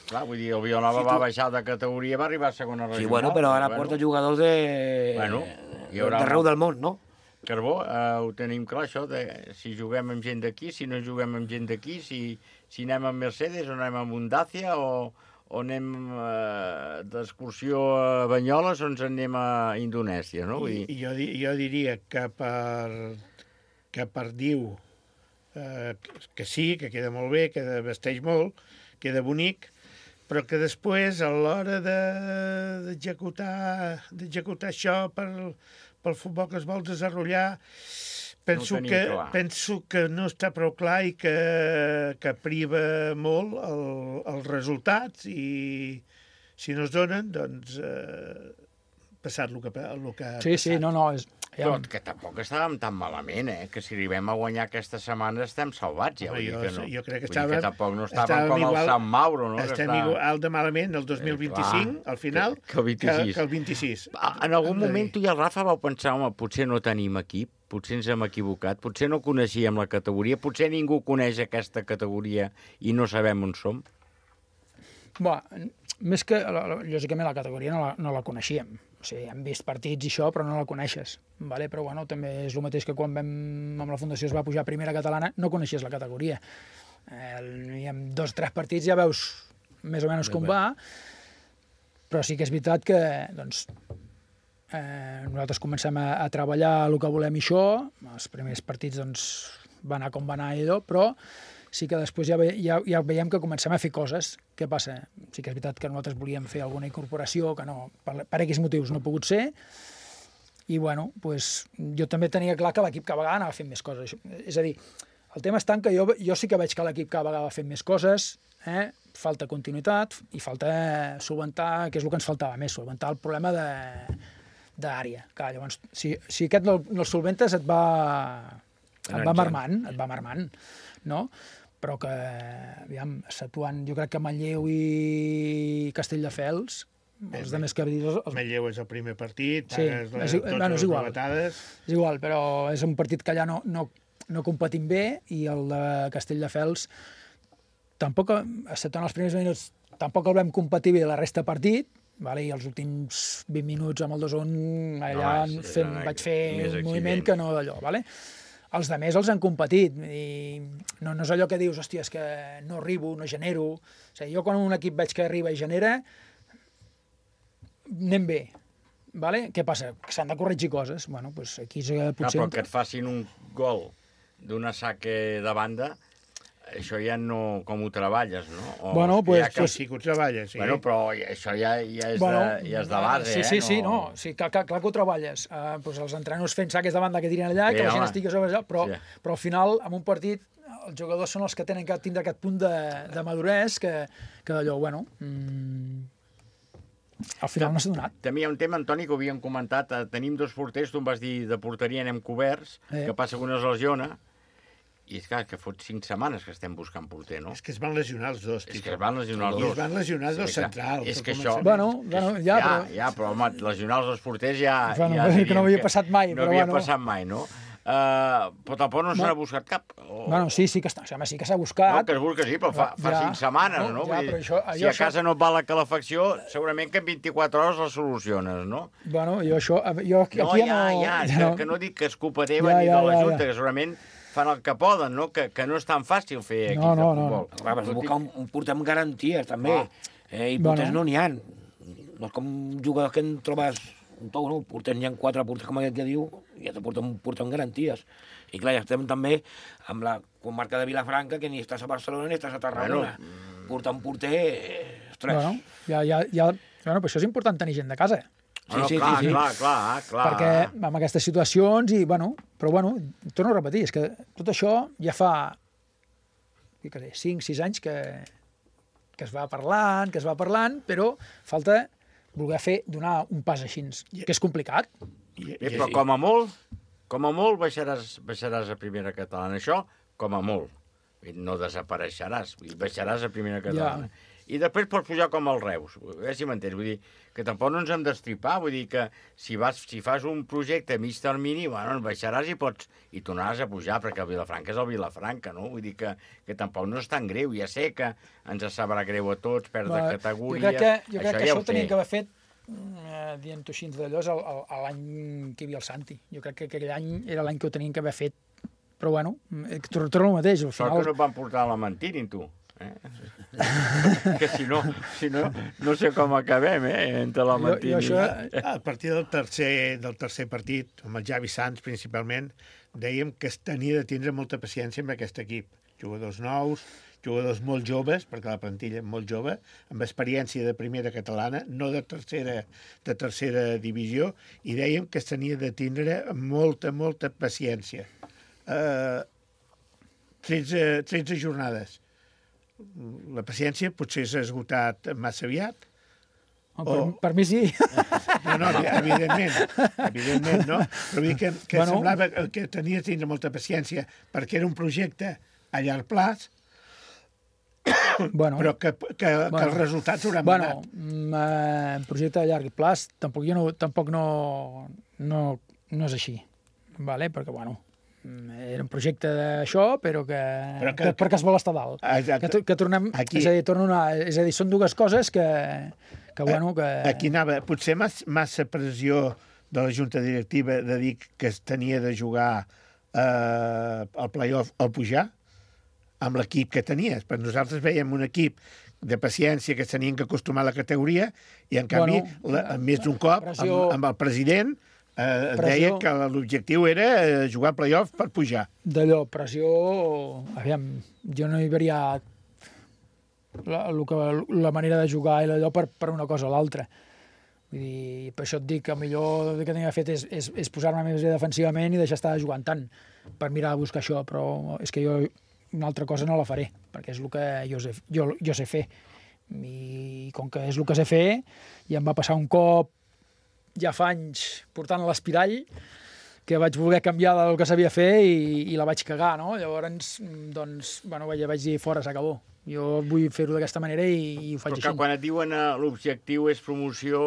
Clar, vull dir, el Vilanova va baixar de categoria, va arribar a segona regional. Sí, bueno, però ara porta jugadors d'arreu del món, no? Carbó, ho tenim clar, això, de si juguem amb gent d'aquí, si no juguem amb gent d'aquí, si anem amb Mercedes o anem amb un Dacia o anem d'excursió a Banyoles o ens anem a Indonèsia, no? Jo diria que per Diu que sí, que queda molt bé, que vesteix molt, queda bonic, però que després, a l'hora d'executar això pel futbol que es vol desenvolupar, penso que no està prou clar i que priva molt els resultats i si no es donen, doncs passat el que ha passat. Sí, no, és... Però que tampoc estàvem tan malament, que si arribem a guanyar aquesta setmana estem salvats, ja. Jo crec que tampoc no estàvem com el Sant Mauro, no? Estem igual de malament el 2025, al final, que el 26. En algun moment tu i el Rafa vau pensar, home, potser no tenim equip, potser ens hem equivocat, potser no coneixíem la categoria, potser ningú coneix aquesta categoria i no sabem on som? Més que, lògicament, la categoria no la coneixíem. O sigui, hem vist partits i això, però no la coneixes. Vale? Però bueno, també és el mateix que quan amb la Fundació es va pujar a primera catalana, no coneixies la categoria. I amb 2 o 3 partits ja veus més o menys com va, però sí que és veritat que doncs, nosaltres comencem a treballar el que volem i això, els primers partits doncs, va anar com va anar i però sí que després ja veiem que comencem a fer coses. Què passa? Sí que és veritat que nosaltres volíem fer alguna incorporació, que no, per X motius no ha pogut ser, i bueno, pues, jo també tenia clar que l'equip cada vegada anava fent més coses. És a dir, el tema està en que jo sí que veig que l'equip cada vegada va fent més coses, falta continuïtat i falta solventar, que és el que ens faltava més, solventar el problema d'àrea. Llavors, si aquest no el solventes et va marmant, no? Però que, aviam, Satuant, jo crec que Manlleu i Castelldefels, els de més que Manlleu és el primer partit, és igual, però és un partit que allà no competim bé, i el de Castelldefels tampoc, excepte en els primers minuts, tampoc el vam competir bé la resta de partit, i els últims 20 minuts amb el 2-1 allà vaig fer un moviment que no d'allò, els de més els han competit, i no és allò que dius, hòstia, és que no arribo, no genero. O sigui, jo quan un equip veig que arriba i genera, anem bé. Què passa? Que s'han de corregir coses. Bueno, doncs aquí potser... Però que et facin un gol d'una saque de banda, això ja no... com ho treballes, no? Bueno, doncs... Sí que ho treballes, sí. Bueno, però això ja és de base, Sí, no. Sí, clar que ho treballes. Els entrenadors fent saques de banda que tiren allà, que la gent estigui sobre allà, però al final, en un partit, els jugadors són els que tenen que tindre aquest punt de maduresa que d'allò, bueno... Al final no s'ha donat. També hi ha un tema, Antoni, que ho havíem comentat. Tenim 2 porters, tu em vas dir de porteria anem coberts, que passa que una es lesiona, i és clar, que fot 5 setmanes que estem buscant porter, no? És que es van lesionar els dos. És que es van lesionar els dos. I es van lesionar els dos centrals. És que això... Però home, lesionar els dos porters ja... Que no havia passat mai. No havia passat mai, no? Però tampoc no se n'ha buscat cap. Sí que s'ha buscat. No, que es busca, sí, però fa 5 setmanes, no? Si a casa no et va la calefacció, segurament que en 24 hores la soluciones, no? Bueno, jo aquí no... Que no dic que és culpa teva ni de la Junta, que segurament fan el que poden, no? Que no és tan fàcil fer equips de futbol. Vas buscar un porter amb garanties, també. I porters no n'hi ha. No és com jugadors que en trobes un tou, no? Porters n'hi ha 4 porters, com aquest que diu, i ja te porten un porter amb garanties. I clar, ja estem també amb la comarca de Vilafranca, que ni estàs a Barcelona ni estàs a Tarragona. Portar un porter... Ostres. Bueno, però això és important tenir gent de casa. Sí. Clar. Perquè amb aquestes situacions, però torno a repetir, és que tot això ja fa 5-6 anys que es va parlant, però falta voler donar un pas així, que és complicat. Però com a molt baixaràs a primera catalana. Això, com a molt. No desapareixeràs, baixaràs a primera catalana. I després pots pujar com el Reus, a veure si m'entens. Vull dir que tampoc no ens hem d'estripar, vull dir que si fas un projecte a mig termini, bueno, baixaràs i tornaràs a pujar, perquè el Vilafranca és el Vilafranca, no? Vull dir que tampoc no és tan greu, ja sé que ens sabrà greu a tots, perdre categories... Jo crec que això ho teníem que haver fet, dient-ho així d'allò, l'any que hi havia el Santi. Jo crec que aquell any era l'any que ho teníem que haver fet, però bueno, torno el mateix. Sort que no et van portar a la Mentini, tu. Que si no sé com acabem, entre la Mentini. A partir del tercer partit, amb el Javi Sanz principalment, dèiem que es tenia de tindre molta paciència amb aquest equip. Jugadors nous, jugadors molt joves, perquè la plantilla és molt jove, amb experiència de primera catalana, no de tercera divisió, i dèiem que es tenia de tindre molta paciència. 13 jornades. La paciència potser s'ha esgotat massa aviat. Per mi sí. No, evidentment, no? Però vull dir que semblava que tenia de tindre molta paciència perquè era un projecte a llarg plaç, però que els resultats hauran anat. Un projecte a llarg plaç tampoc no és així, perquè, era un projecte d'això, però perquè es vol estar dalt. Que tornem... És a dir, són dues coses que... Aquí anava, potser massa pressió de la junta directiva de dir que es tenia de jugar al play-off al pujar, amb l'equip que tenies. Però nosaltres veiem un equip de paciència que s'tenien que acostumar a la categoria i, en canvi, més d'un cop, amb el president... deia que l'objectiu era jugar al play-off per pujar. D'allò, pressió... Aviam, jo no hi veuria la manera de jugar i allò per una cosa o l'altra. Vull dir, per això et dic que el millor que tenia fet és posar-me més defensivament i deixar estar jugant tant per mirar a buscar això, però és que jo una altra cosa no la faré, perquè és el que jo sé fer. I com que és el que sé fer, i em va passar un cop ja fa anys portant l'espirall, que vaig voler canviar del que sabia fer i la vaig cagar, no? Llavors, vaig dir, fora, s'acabó. Jo vull fer-ho d'aquesta manera i ho faig així. Però que quan et diuen l'objectiu és promoció,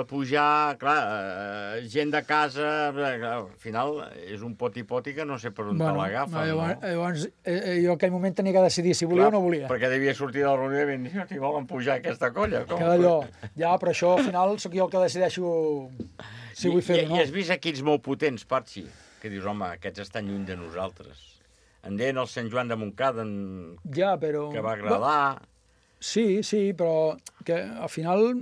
pujar, clar, gent de casa, al final és un poti-poti que no sé per on te l'agafa. Llavors, jo en aquell moment tenia que decidir si volia o no volia. Perquè devia sortir del reunió i dir, si volen pujar aquesta colla. Ja, però això al final sóc jo el que decideixo si vull fer-ho o no. I has vist equips molt potents, Patxi, que dius, home, aquests estan lluny de nosaltres. En deien el Sant Joan de Montcada, que va agradar... Sí, però que al final,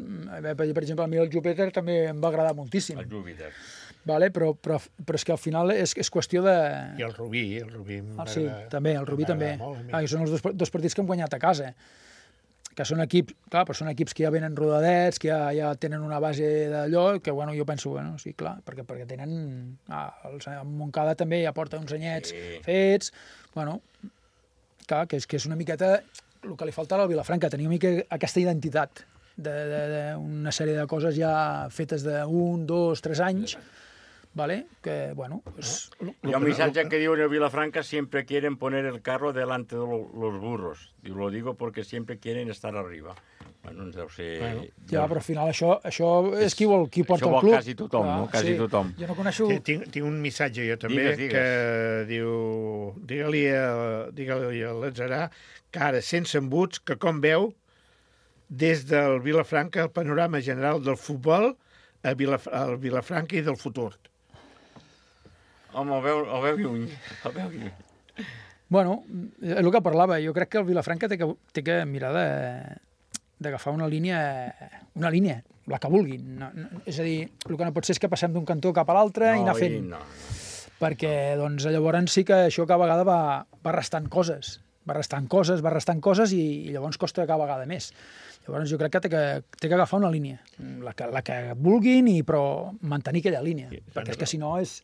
per exemple, a mi el Júpiter també em va agradar moltíssim. El Júpiter. Però és que al final és qüestió de... I el Rubí. Sí, també, el Rubí també. Són els dos partits que hem guanyat a casa. Que són equips, clar, però són equips que ja venen rodadets, que ja tenen una base d'allò, que jo penso, sí, clar, perquè tenen... El Montcada també ja porta uns anyets fets, clar, que és una miqueta el que li falta a la Vilafranca, tenir una mica aquesta identitat d'una sèrie de coses ja fetes d'1, 2, 3 anys, que, Hi ha un missatge que diu en Vilafranca, siempre quieren poner el carro delante de los burros. Diu, lo digo porque siempre quieren estar arriba. Ens deu ser... Ja, però al final això és qui porta el club. Això vol quasi tothom, no? Quasi tothom. Jo no coneixo... Tinc un missatge jo també, que diu, digue-li a l'Atzarà que ara, sense embuts, que com veu des del Vilafranca el panorama general del futbol al Vilafranca i del futur. Home, el veu lluny. És el que parlava. Jo crec que el Vilafranca té que mirar d'agafar una línia, la que vulguin. És a dir, el que no pot ser és que passem d'un cantó cap a l'altre i anar fent. Perquè llavors sí que això cada vegada va restant coses. Va restant coses i llavors costa cada vegada més. Llavors jo crec que té que agafar una línia, la que vulguin, però mantenir aquella línia, perquè és que si no es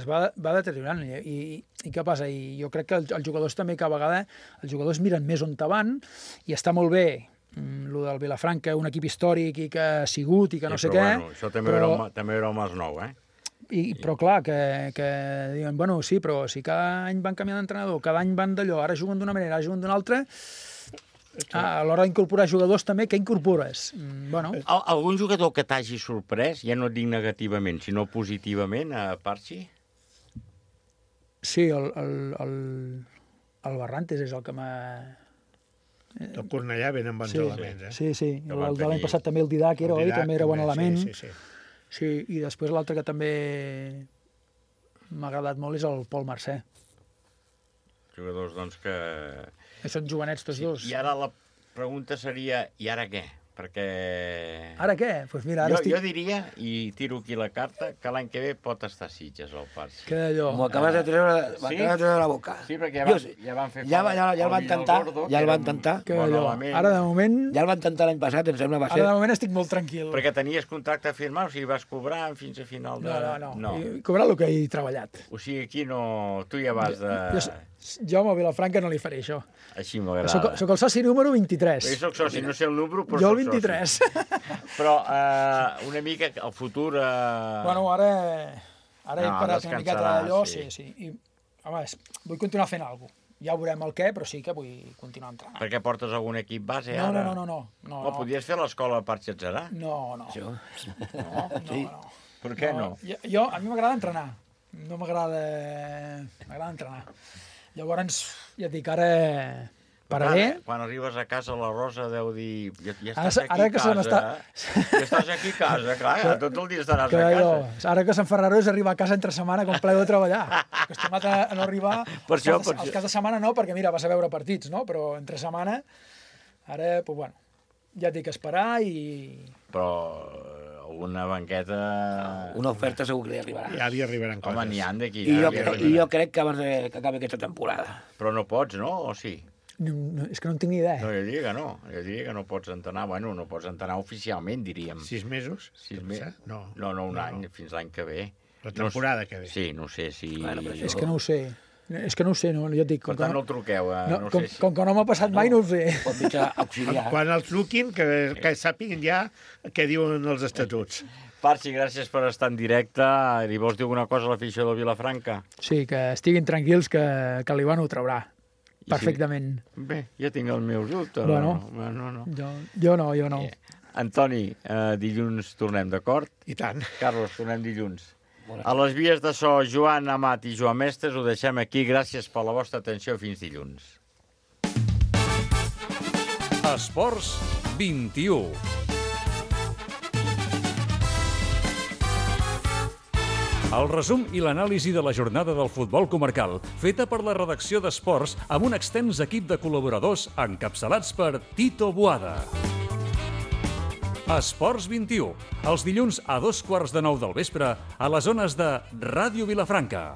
va deteriorant. I què passa? I jo crec que els jugadors també cada vegada els jugadors miren més on van i està molt bé el del Vilafranca, un equip històric i que ha sigut i que no sé què. Això també era el Masnou, però clar, que diuen, sí, però si cada any van canviar d'entrenador, cada any van d'allò, ara juguen d'una manera, ara juguen d'una altra, A l'hora d'incorporar jugadors també, què incorpores? Bueno. Algun jugador que t'hagi sorprès, ja no et dic negativament, sinó positivament, a Parchi? Sí, el Barrantes és el que m'ha... El Cornellà ben amb bons elements, eh? Sí. El de l'any passat també el Didac era, oi? També era bon element. Sí, i després l'altre que també m'ha agradat molt és el Pol Mercè. Jugadors, doncs, que... Són jovenets tots dos. I ara la pregunta seria, i ara què? Perquè... Ara què? Pues mira, ara jo diria, i tiro aquí la carta, que l'any que ve pot estar a Sitges, el Parci. Que allò... M'ho acabes de treure de la boca. Sí, perquè ja van fer... Ja el van tentar. Que allò... Ara, de moment... Ja el van tentar l'any passat, em sembla, va ser... Ara, de moment, estic molt tranquil. Perquè tenies contracte firmat, o sigui, vas cobrar fins a final de... No. He cobrat el que he treballat. O sigui, aquí no... Tu ja vas de... Jo a Vilafranca no li faré això. Així m'agrada. Soc el soci número 23. Jo soc soci, no sé el número, però jo soc el 23. Però una mica el futur... Bueno, ara he parat una miqueta d'allò, sí. I, home, vull continuar fent alguna cosa. Ja veurem el què, però sí que vull continuar entrenant. Perquè portes algun equip base, ara? No. Podries fer l'escola per Xatzarà? No. No. Per què no? A mi m'agrada entrenar. No m'agrada... M'agrada entrenar. Llavors, ja et dic, ara pararé. Quan arribes a casa, la Rosa deu dir... Ja estàs aquí a casa, clar, tot el dia estaràs a casa. Ara que s'enfarraró és arribar a casa entre setmana com plego de treballar. Acostumat a no arribar... Els caps de setmana no, perquè mira, vas a veure partits, no? Però entre setmana, ara, doncs bueno, ja et dic, esperar i... Però... una banqueta... Una oferta segur que li arribarà. Ja li arribaran coses. Home, n'hi han d'aquí. I jo crec que abans que acabi aquesta temporada. Però no pots, no? O sí? No, és que no en tinc ni idea. No, jo diria que no. Jo diria que no pots entrenar. Bueno, no pots entrenar oficialment, diríem. 6 mesos? 6 mesos? No, un any, fins l'any que ve. La temporada que ve. Sí, no sé si... És que no ho sé. És que no ho sé, no? Jo et dic... Per tant, no el truqueu. Com que no m'ha passat mai, no ho sé. Quan el truquin, que sàpiguen ja què diuen els estatuts. Parci, gràcies per estar en directe. Li vols dir alguna cosa a l'afició de Vilafranca? Sí, que estiguin tranquils, que l'Ivan ho traurà. Perfectament. Bé, jo tinc els meus dubtes. Bueno, no. Jo no. Antoni, dilluns tornem, d'acord? I tant. Carlos, tornem dilluns. A les vies de so, Joan Amat i Joan Mestres, ho deixem aquí. Gràcies per la vostra atenció. Fins dilluns. Esports 21. El resum i l'anàlisi de la jornada del futbol comarcal, feta per la redacció d'Esports amb un extens equip de col·laboradors encapçalats per Tito Boada. Esports 21, els dilluns a 2:15 del vespre a les ones de Ràdio Vilafranca.